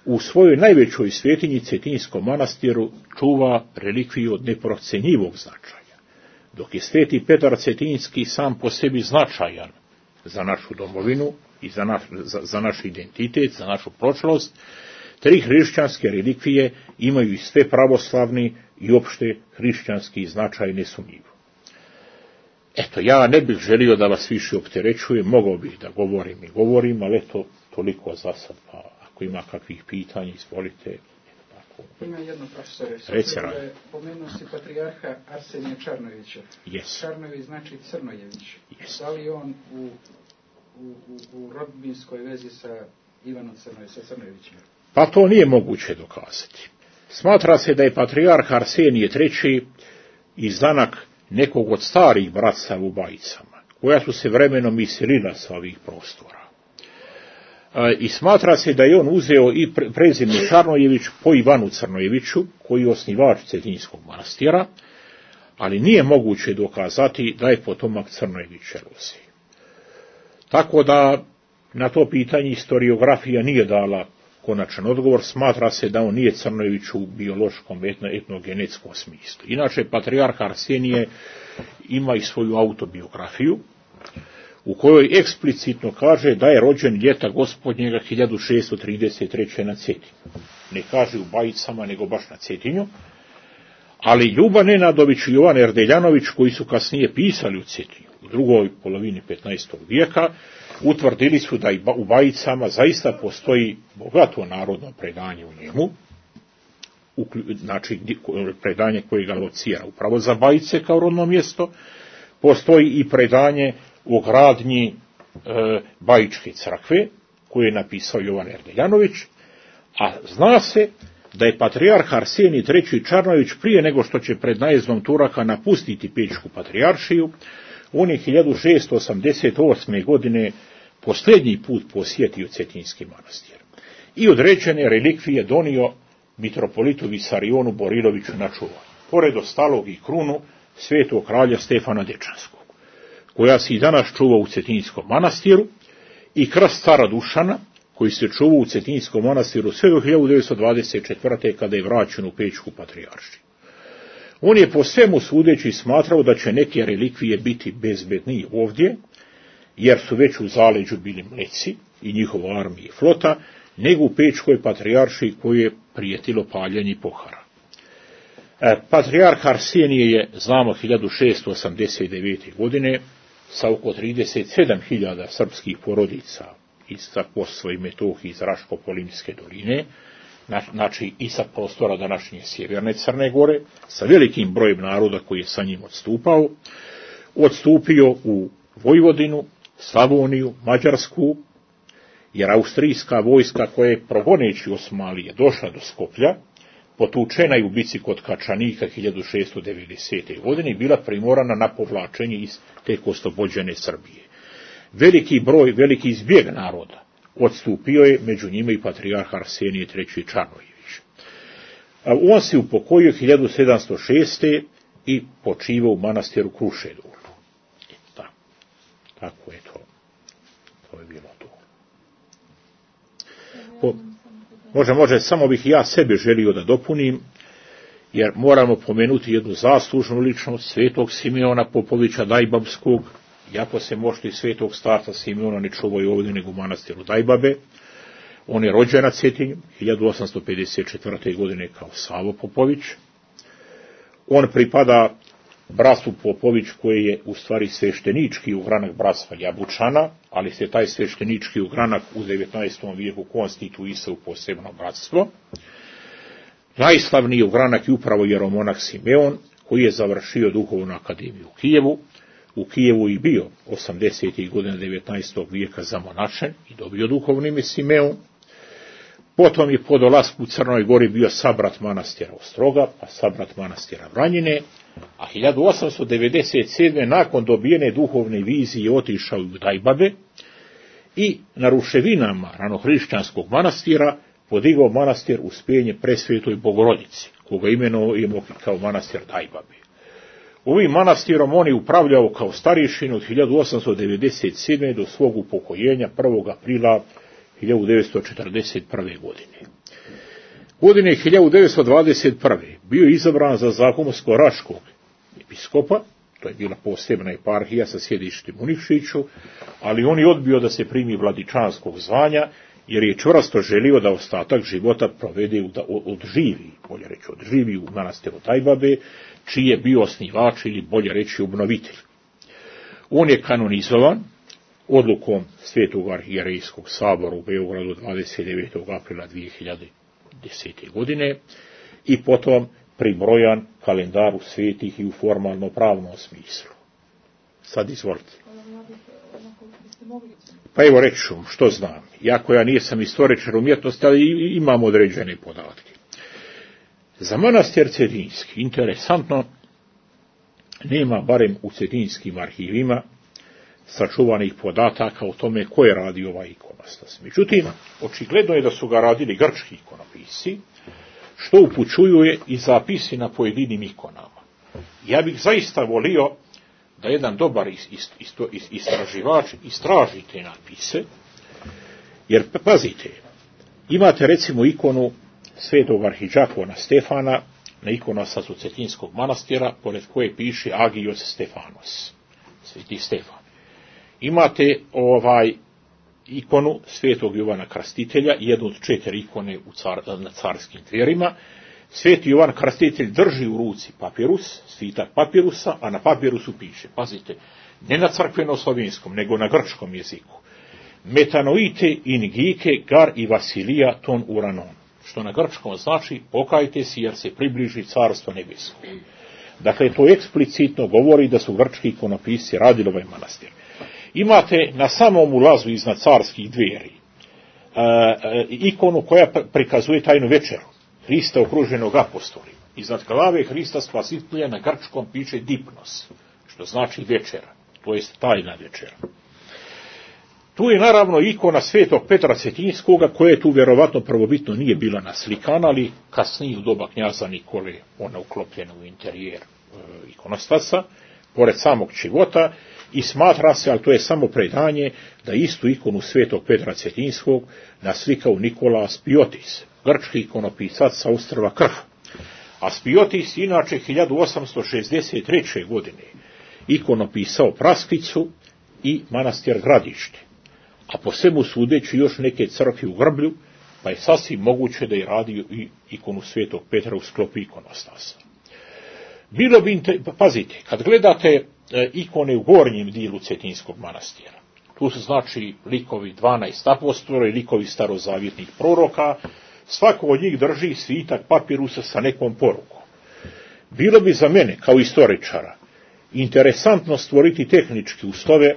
Speaker 3: u svojoj najvećoj svetinji Cetinjskom manastiru čuva relikviju od neprocenjivog značaja. Dok je sveti Petar Cetinjski sam po sebi značajan za našu domovinu i za naš identitet, za našu prošlost, 3 hrišćanske relikvije imaju i sve pravoslavni i opšte hrišćanski značaj nesumnjivo. Eto, ja ne bih želio da vas više opterećujem, mogao bih da govorim, ali eto, toliko za sad, pa ako ima kakvih pitanja, izvolite.
Speaker 1: Ima jedno, profesore, pomenuo si patrijarha Arsenija Čarnojevića.
Speaker 3: Yes.
Speaker 1: Čarnojević znači Crnojević.
Speaker 3: Yes.
Speaker 1: Da li on u rodbinskoj vezi sa Ivanom Crnojevićem?
Speaker 3: Pa to nije moguće dokazati. Smatra se da je patrijarh Arsenije III. Izdanak nekog od starih bratstva u Bajicama, koja su se vremenom iselila sa ovih prostora. I smatra se da je on uzeo i prezime Čarnojević po Ivanu Crnojeviću, koji je osnivač Cetinjskog manastira, ali nije moguće dokazati da je potomak Crnojevića Rusije. Tako da na to pitanje historiografija nije dala konačan odgovor. Smatra se da on nije Crnojević u biološkom etnogenetskom smislu. Inače, patrijarh Arsenije ima i svoju autobiografiju, u kojoj eksplicitno kaže da je rođen ljeta gospodnjega 1633. na Cetinju. Ne kaže u Bajicama, nego baš na Cetinju. Ali Ljuba Nenadović i Jovan Erdeljanović, koji su kasnije pisali u Cetinju, u drugoj polovini 15. vijeka, utvrdili su da u Bajicama zaista postoji bogato narodno predanje u njemu, znači predanje koje ga locira upravo za Bajice kao rodno mjesto. Postoji i predanje o gradnji Bajičke crkve, koju je napisao Jovan Erdeljanović, a zna se da je patrijarh Arsenij III. Čarnojević prije nego što će pred najezdom Turaka napustiti Pećku patrijaršiju, on je 1688. godine posljednji put posjetio Cetinski manastir i određene relikvije donio mitropolitu Visarionu Boriloviću na čuvanje, pored ostalog i krunu svetog kralja Stefana Dečanskog, koja se i danas čuva u Cetinskom manastiru, i krst cara Dušana, koji se čuva u Cetinskom manastiru sve do 1924. kada je vraćen u Pećku patrijaršiju. On je po svemu sudeći smatrao da će neke relikvije biti bezbedniji ovdje, jer su već u zaleđu bili Mleci i njihova armija i flota, nego u Pećkoj patrijaršiji koju je prijetilo paljenje i pohara. Patrijarh Arsenije je, znamo, 1689. godine sa oko 37.000 srpskih porodica iz Kosova i Metohije, iz Raško-Polimske doline, znači i sa prostora današnje sjeverne Crne Gore, sa velikim brojem naroda koji je sa njim odstupio u Vojvodinu, Slavoniju, Mađarsku, jer austrijska vojska koja je progoneći Osmanlije došla do Skoplja, potučena je u bici kod Kačanika 1690. godine i bila primorana na povlačenje iz tek oslobođene Srbije. Veliki zbjeg naroda odstupio je, među njima i patrijarh Arsenije III. Čarnojević. On se upokojio 1706. i počivao u manastiru Krušedolu. Tako je to. To je bilo to. Može, samo bih ja sebe želio da dopunim, jer moramo pomenuti jednu zaslužnu ličnost, svetog Simeona Popovića Dajbabskog, iako se možda i svetog starca Simeona ne čuvaju ovdje nego u manastiru Dajbabe. On je rođen na Cetinju 1854. godine kao Savo Popović. On pripada bratstvu Popović koji je u stvari sveštenički ugranak bratstva Jabučana, ali se taj sveštenički ugranak u 19. vijeku konstituisao u posebno bratstvo. Najslavniji ugranak je upravo jeromonah Simeon, koji je završio duhovnu akademiju u Kijevu. U Kijevu i bio 80. godina 19. vijeka zamonašen i dobio duhovno ime Simeon. Potom je po dolasku u Crnoj Gori bio sabrat manastira Ostroga, pa sabrat manastira Vranjine, a 1897. nakon dobijene duhovne vizije otišao u Dajbabe i na ruševinama ranohrišćanskog manastira podigao manastir Uspjenje Presvetoj Bogorodici, koga imenujemo kao manastir Dajbabe. Ovim manastirom on je upravljao kao starješin od 1897. do svog upokojenja 1. aprila 1941. godine. Godine 1921. bio je izabran za zahumsko-raškog episkopa, to je bila posebna eparhija sa sjedištem u Nikšiću, ali on je odbio da se primi vladičanskog zvanja, jer je čvrsto želio da ostatak života provede odživi u manastiru Dajbabe, čiji je bio osnivač ili bolje reći obnovitelj. On je kanonizovan odlukom Svetog arhijerejskog sabora u Beogradu 29. aprila 2010. godine i potom pribrojan kalendaru svetih i u formalno pravnom smislu. Sad izvolite. Pa evo reći ću što znam. Iako ja nisam istoričar umjetnosti, ali imam određene podatke. Za manastir Cetinski, interesantno, nema barem u cetinskim arhivima sačuvanih podataka o tome ko je radio ovaj ikonostas. Međutim, očigledno je da su ga radili grčki ikonopisci, što upućuje i zapisi na pojedinim ikonama. Ja bih zaista volio da jedan dobar istraživač istraži te napise, jer pazite, imate recimo ikonu svetog arhidžakona Stefana na ikonostasu Cetinskog manastira, pored koje piše Agios Stefanos, sveti Stefan. Imate ikonu svetog Jovana Krstitelja, jednu od 4 ikone na carskim dverima. Sveti Jovan Krstitelj drži u ruci papirus, svitak papirusa, a na papirusu piše, pazite, ne na crkveno-slovenskom, nego na grčkom jeziku: Metanoite in gike gar i Vasilija ton uranon, što na grčkom znači pokajte se jer se približi carstvo nebesko. Dakle, to eksplicitno govori da su grčki ikonopisci radili ovaj manastir. imate na samom ulazu iznad carskih dveri ikonu koja prikazuje tajnu večeru. Hrista okruženog apostolima. Iznad glave Hrista Spasitelja na grčkom piše dipnos, što znači večera, to jest tajna večera. Tu je naravno ikona svetog Petra Cetinjskoga, koja tu vjerovatno prvobitno nije bila naslikana, ali kasnije u doba knjaza Nikole ona uklopljena u interijer ikonostasa, pored samog čivota, i smatra se, ali to je samo predanje, da istu ikonu svetog Petra Cetinjskog naslikao Nikola Aspiotis, grčki ikonopisac sa ostrva Krfa. Aspiotis inače 1863. godine ikonopisao Praskicu i manastir Gradište, a po svemu sudeći još neke crkve u Grblju, pa je sasvim moguće da je radio i ikonu svetog Petra u sklopu ikonostasa. Bilo bi, pazite, kad gledate ikone u gornjem dijelu Cetinjskog manastira, tu su znači likovi 12 apostola i likovi starozavjetnih proroka, svako od njih drži svitak papirusa sa nekom porukom. Bilo bi za mene, kao istoričara, interesantno stvoriti tehnički uslove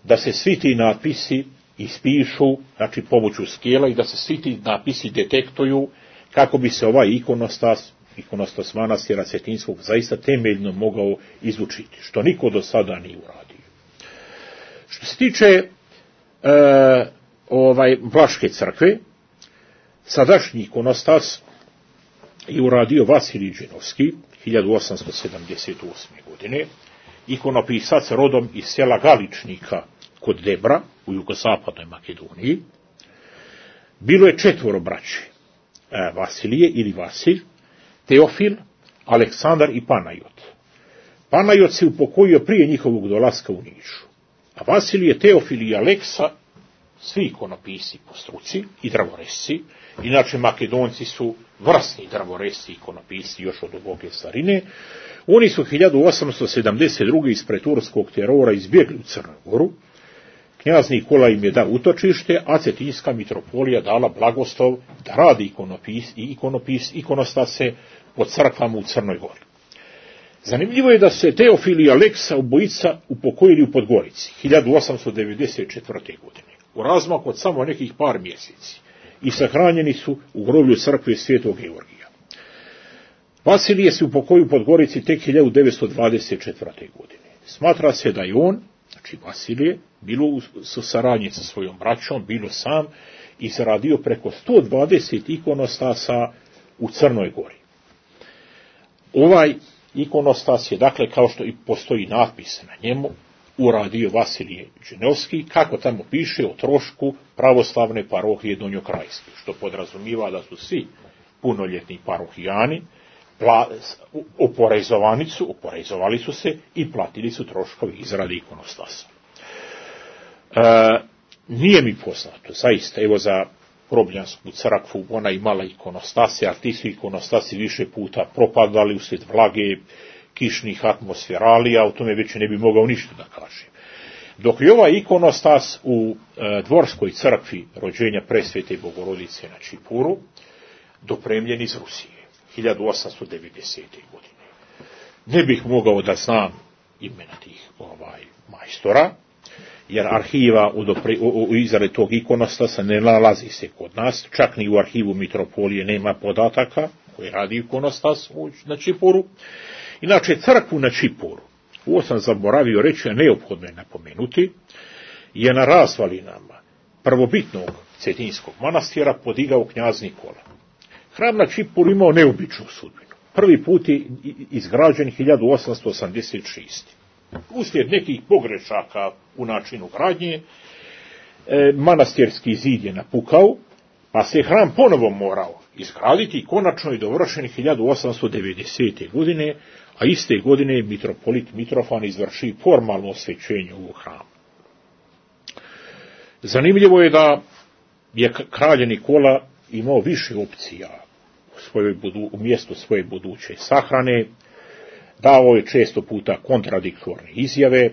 Speaker 3: da se svi ti napisi ispišu, znači pomoću skela, i da se svi ti napisi detektuju kako bi se ovaj ikonostas manastira Cetinjskog zaista temeljno mogao izučiti, što niko do sada nije uradio. Što se tiče Vlaške crkve, sadašnji ikonostas je uradio Vasilij Džinovski 1878. godine, ikonopisac rodom iz sela Galičnika kod Debra u jugozapadnoj Makedoniji. Bilo je 4 braće, Vasilije ili Vasilj, Teofil, Aleksandar i Panajot. Panajot se upokojio prije njihovog dolaska u Nišu, a Vasilije, Teofil i Aleksa, svi ikonopisi po struci i drvoresci, inače Makedonci su vrsni drvoresci ikonopisi još od duboke starine, oni su 1872. ispred turskog terora izbjegli u Crnu Goru. Knjaz Nikola im je dao utočište, a Cetinjska mitropolija dala blagoslov da radi ikonostase po crkvama u Crnoj Gori. Zanimljivo je da se Teofil i Aleksa obojica upokojili u Podgorici 1894. godine, u razmaku od samo nekih par mjeseci, i sahranjeni su u groblju crkve Svetog Georgija. Vasilije se upokojio u Podgorici tek 1924. godine. Smatra se da je on, znači Vasilije, bilo u saradnji sa svojom braćom, bilo sam, izradio preko 120 ikonostasa u Crnoj Gori. Ovaj ikonostas je, dakle, kao što i postoji natpis na njemu, uradio Vasilij Džinovski, kako tamo piše, o trošku pravoslavne parohije Donjokrajske, što podrazumiva da su svi punoljetni parohijani oporezovali su se i platili su troškovi izrade ikonostasa. Nije mi poznato, zaista, evo za Grobljansku crkvu, ona imala ikonostase, a ti su ikonostasi više puta propadali uslijed vlage, kišnih atmosferalija, o tome već ne bi mogao ništa da kažem. Dok je ovaj ikonostas u dvorskoj crkvi rođenja Presvete Bogorodice na Čipuru dopremljen iz Rusije 1890. godine. Ne bih mogao da znam imena tih majstora, jer arhiva u izradi tog ikonostasa ne nalazi se kod nas, čak ni u arhivu mitropolije nema podataka koji radi ikonostas na Čipuru. Inače, crkvu na Čipuru, ovo sam zaboravio reći, a neophodno je napomenuti, je na razvalinama prvobitnog Cetinjskog manastira podigao knjaz Nikola. Hram na Čipuru imao neobičnu sudbinu. Prvi put je izgrađen 1886. Uslijed nekih pogrešaka u načinu gradnje, manastirski zid je napukao, pa se hram ponovo morao izgraditi i konačno je dovršen 1890. godine, a iste godine je mitropolit Mitrofan izvršio formalno osvećenje ovog hrama. Zanimljivo je da je kralj Nikola imao više opcija u mjestu svoje buduće sahrane, davao je često puta kontradiktorne izjave,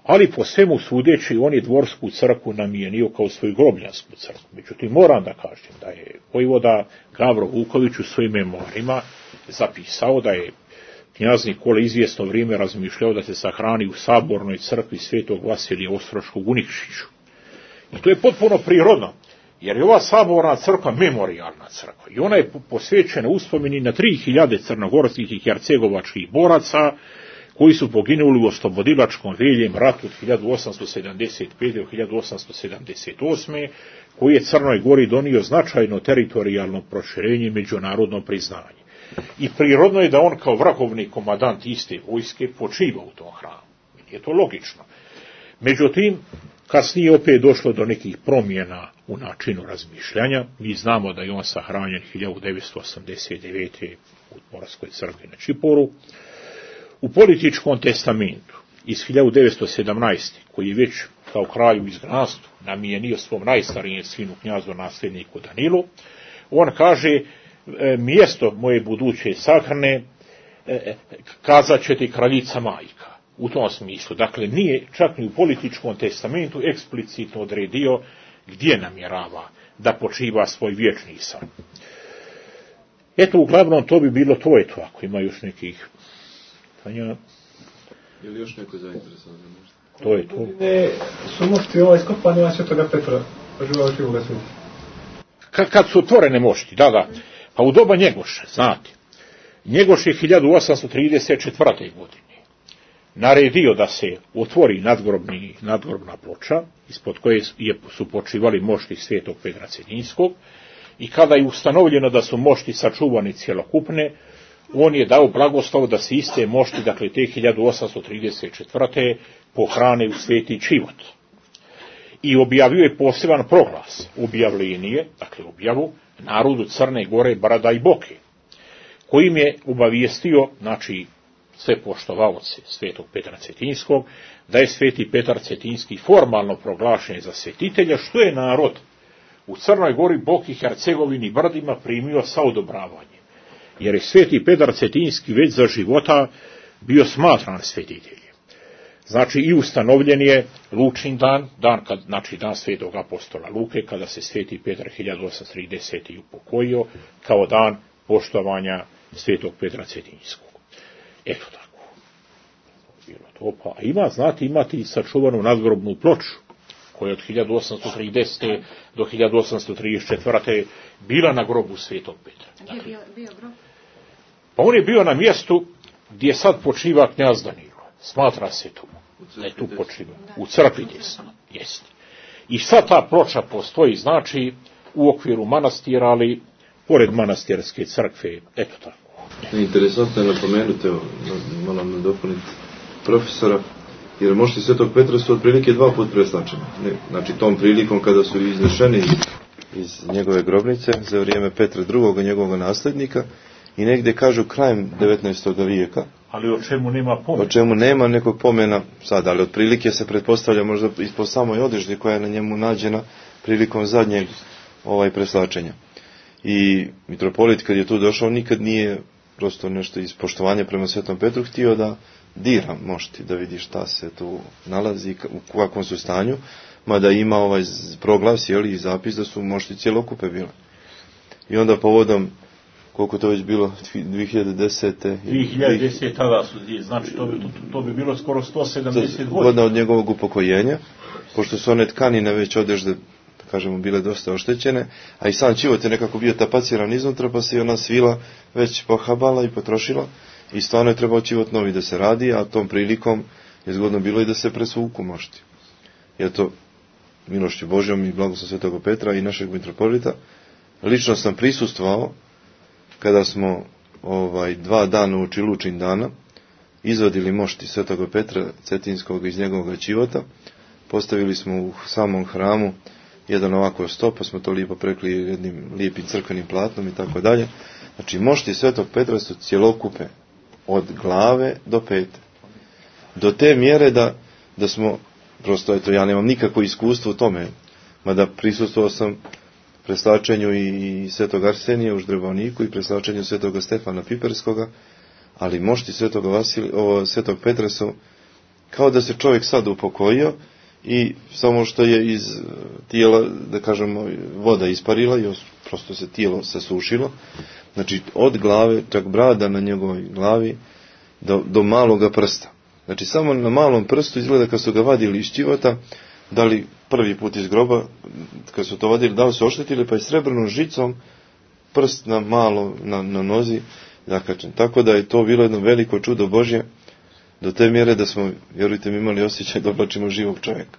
Speaker 3: ali po svemu sudeći on je dvorsku crkvu namijenio kao svoju grobljansku crkvu. Međutim, moram da kažem da je vojvoda Gavro Vuković u svojim memoarima zapisao da je knjaz Nikola izvjesno vrijeme razmišljao da se sahrani u sabornoj crkvi svetog Vasilija Ostroškog u Nikšiću. I to je potpuno prirodno, jer je ova saborna crkva memorijalna crkva i ona je posvećena uspomeni na 3000 crnogorskih i hercegovačkih boraca koji su poginuli u oslobodilačkom veljem ratu od 1875. do 1878. koji je Crnoj Gori donio značajno teritorijalno proširenje i međunarodno priznanje. I prirodno je da on kao vrhovni komandant iste vojske počiva u tom hramu. Je to logično. Međutim, kasnije opet došlo do nekih promjena u načinu razmišljanja. Mi znamo da je on sahranjen 1989. u Moravskoj crkvi na Čiporu. U političkom testamentu iz 1917. koji je već kao kralj u izgnanstvu namijenio svom najstarijem sinu knjazu nasljedniku Danilu, on kaže: mjesto moje buduće sahrane kazat će ti kraljica majka. U tom smislu, dakle, nije čak ni u političkom testamentu eksplicitno odredio gdje namjerava da počiva svoj vječni san. Eto, uglavnom, to bi bilo to, ako ima još nekih pitanja.
Speaker 4: Je li još neko zainteresovan?
Speaker 3: To je to.
Speaker 5: Su mošti iskopani Svetoga Petra,
Speaker 3: kad su otvorene mošti, da. Pa u doba Njegoša, znate, Njegoš je 1834. godine naredio da se otvori nadgrobna ploča, ispod koje su počivali mošti svetog Petra Cetinskog, i kada je ustanovljeno da su mošti sačuvani cjelokupne, on je dao blagoslov da se iste mošti, dakle te 1834. pohrane u sveti Čivot. I objavio je poseban proglas, objavljenje, dakle objavu, narodu Crne Gore, Brada i Boke, kojim je obavijestio, znači, sve poštovaoce svetog Petra Cetinskog, da je sveti Petar Cetinski formalno proglašen za svetitelja, što je narod u Crnoj Gori, Boki, Hercegovini i Brdima primio sa odobravanjem. Jer je sveti Petar Cetinski već za života bio smatran svetiteljem. Znači, i ustanovljen je Lučin dan, znači dan svetog apostola Luke, kada se sveti Petar 1830. upokojio, kao dan poštovanja svetog Petra Cetinskog. Eto tako. Bilo to. Pa imati sačuvanu nadgrobnu ploču, koja je od 1830. do 1834. bila na grobu svetog Petra.
Speaker 2: Gdje je bio grob?
Speaker 3: Pa on je bio na mjestu gdje sad počiva knjaz Danilo. Smatra se tu. Da je tu počiva. U crkvi desno. Jeste. I sad ta ploča postoji, znači, u okviru manastira, ali pored manastirske crkve. Eto tako.
Speaker 4: Interesantno je napomenuti, evo, moram nadopuniti profesora, jer mošti svetog Petra su otprilike 2 puta preslačeni. Znači, tom prilikom kada su iznešeni iz njegove grobnice za vrijeme Petra II. Njegovog nasljednika, i negdje kažu krajem 19. vijeka.
Speaker 3: Ali o čemu nema pomena?
Speaker 4: O čemu nema nekog pomena sad, ali otprilike se pretpostavlja možda ispod samoj odeždi koja je na njemu nađena prilikom zadnjeg preslačenja. I mitropolit kad je tu došao nikad nije prosto nešto iz poštovanja prema Svetom Petru htio da dira mošti, da vidi šta se tu nalazi, u kakvom su stanju, mada ima proglas, i zapis da su mošti cjelokupe bile. I onda povodom, koliko to već bilo, 2010.
Speaker 3: 2010. tada su, znači to bi bilo skoro 170 godina
Speaker 4: od njegovog upokojenja, pošto su one tkanine već odežde, da kažemo, bile dosta oštećene, a i sam Čivot je nekako bio tapaciran iznutra, pa se i ona svila već pohabala i potrošila, i stvarno je trebao Čivot novi da se radi, a tom prilikom je zgodno bilo i da se presvuku mošti. I to milošću Božjom i blagoslovom Svetog Petra i našeg mitropolita, lično sam prisustvovao kada smo 2 dana uoči Lučin dana izvadili mošti Svetog Petra Cetinskog iz njegovog Čivota, postavili smo u samom hramu jedan ovako stop, pa smo to lijepo prekli jednim lijepim crkvenim platnom i tako dalje. Znači, mošti Svetog Petra su cjelokupe od glave do pete. Do te mjere da smo, prosto, ja nemam nikakvo iskustvo u tome, mada prisustvovao sam preslačenju i Svetog Arsenija u Ždrebovniku i preslačenju Svetog Stefana Piperskoga, ali mošti Svetog Petra su kao da se čovjek sad upokojio i samo što je iz tijela, da kažemo, voda isparila i prosto se tijelo sasušilo. Znači, od glave, čak brada na njegovoj glavi do maloga prsta. Znači samo na malom prstu izgleda kad su ga vadili iz ćivota, da li prvi put iz groba, kad su to vadili, da li su oštetili, pa je srebrnom žicom prst na malo na nozi zakačen. Tako da je to bilo jedno veliko čudo Božje, do te mjere da smo, vjerujte mi, imali osjećaj da oblačimo živog čovjeka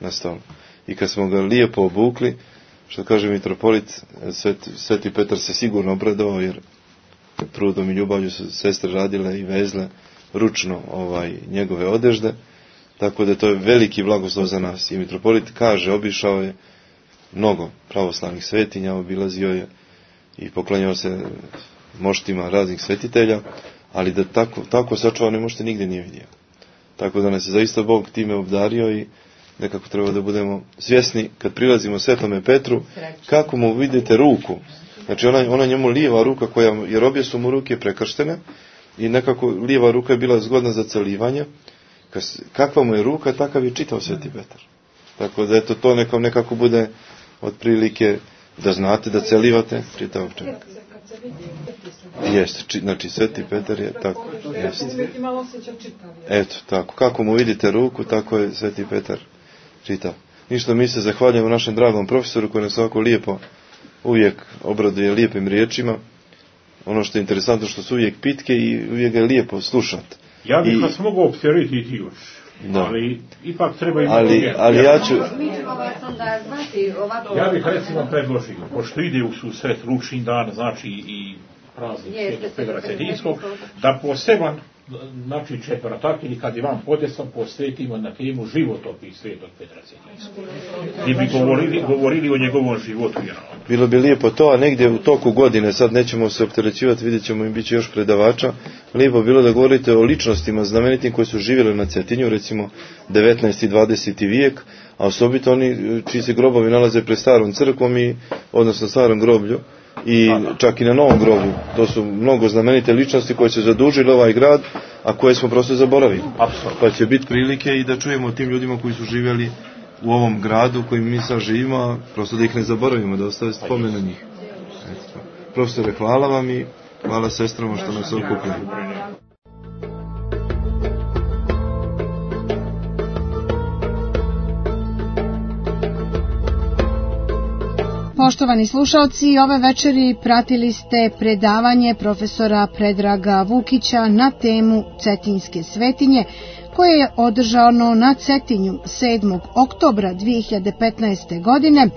Speaker 4: na stolu. I kad smo ga lijepo obukli, što kaže mitropolit, Sveti Petar se sigurno obradovao, jer trudom i ljubavlju su sestre radile i vezle ručno njegove odežde, tako da to je veliki blagoslov za nas. I mitropolit kaže, obišao je mnogo pravoslavnih svetinja, obilazio je i poklanjao se moštima raznih svetitelja, ali da tako sačuvane mošte nigdje nije vidio. Tako da nas je zaista Bog time obdario i nekako treba da budemo svjesni kad prilazimo Svetome Petru, kako mu vidite ruku. Znači ona njemu lijeva ruka, jer obje su mu ruke prekrštene i nekako lijeva ruka je bila zgodna za celivanje. Kakva mu je ruka, takav je čitao Sveti Petar. Tako da to nekako bude otprilike da znate da celivate čitavog čovjeka. Jeste, znači Sveti Petar je tako. Jeste. Eto, tako. Kako mu vidite ruku, tako je Sveti Petar čitao. Ništa, mi se zahvaljujemo našem dragom profesoru koji nas ovako lijepo uvijek obraduje lijepim riječima. Ono što je interesantno što su uvijek pitke i uvijek ga je lijepo slušati.
Speaker 3: Ja bih vas mogao opteretiti još, ali ipak treba
Speaker 4: imati... Ali ja ću...
Speaker 3: Ja bih recimo predložio, pošto ide u susret Lučin dan, znači i praznik Svetog Petra Cetinskog, da poseban, znači četvrtak ili kad je vam podesan, posvetimo na temu životopis Svetog Petra Cetinskog. Gdje bi govorili o njegovom životu.
Speaker 4: Bilo bi lijepo to, a negdje u toku godine, sad nećemo se opterećivati, vidjet ćemo im bit će još predavača, lijepo bilo da govorite o ličnostima znamenitim koji su živjeli na Cetinju, recimo 19. i 20. vijek, a osobito oni čiji se grobovi nalaze pred starom crkvom odnosno starom groblju, i čak i na novom groblju. To su mnogo znamenite ličnosti koje su zadužili ovaj grad, a koje smo prosto zaboravili.
Speaker 3: Apsolutno.
Speaker 4: Pa će biti prilike i da čujemo o tim ljudima koji su živjeli u ovom gradu kojim mi sad živimo, a prosto da ih ne zaboravimo, da ostave spomen na njih. Profesore, hvala vam i hvala sestrama što nas okupili.
Speaker 2: Poštovani slušalci, ove večeri pratili ste predavanje profesora Predraga Vukića na temu Cetinske svetinje, koje je održano na Cetinju 7. oktobra 2015. godine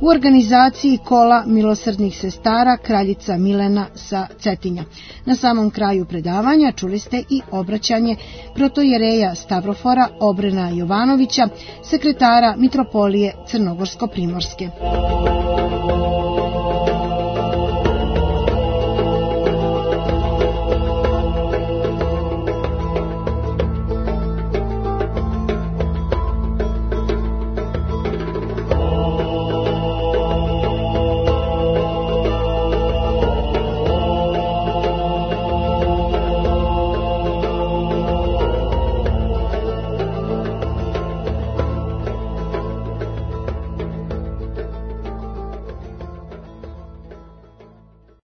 Speaker 2: u organizaciji Kola milosrdnih sestara Kraljica Milena sa Cetinja. Na samom kraju predavanja čuli ste i obraćanje protojereja Stavrofora Obrena Jovanovića, sekretara Mitropolije Crnogorsko-Primorske.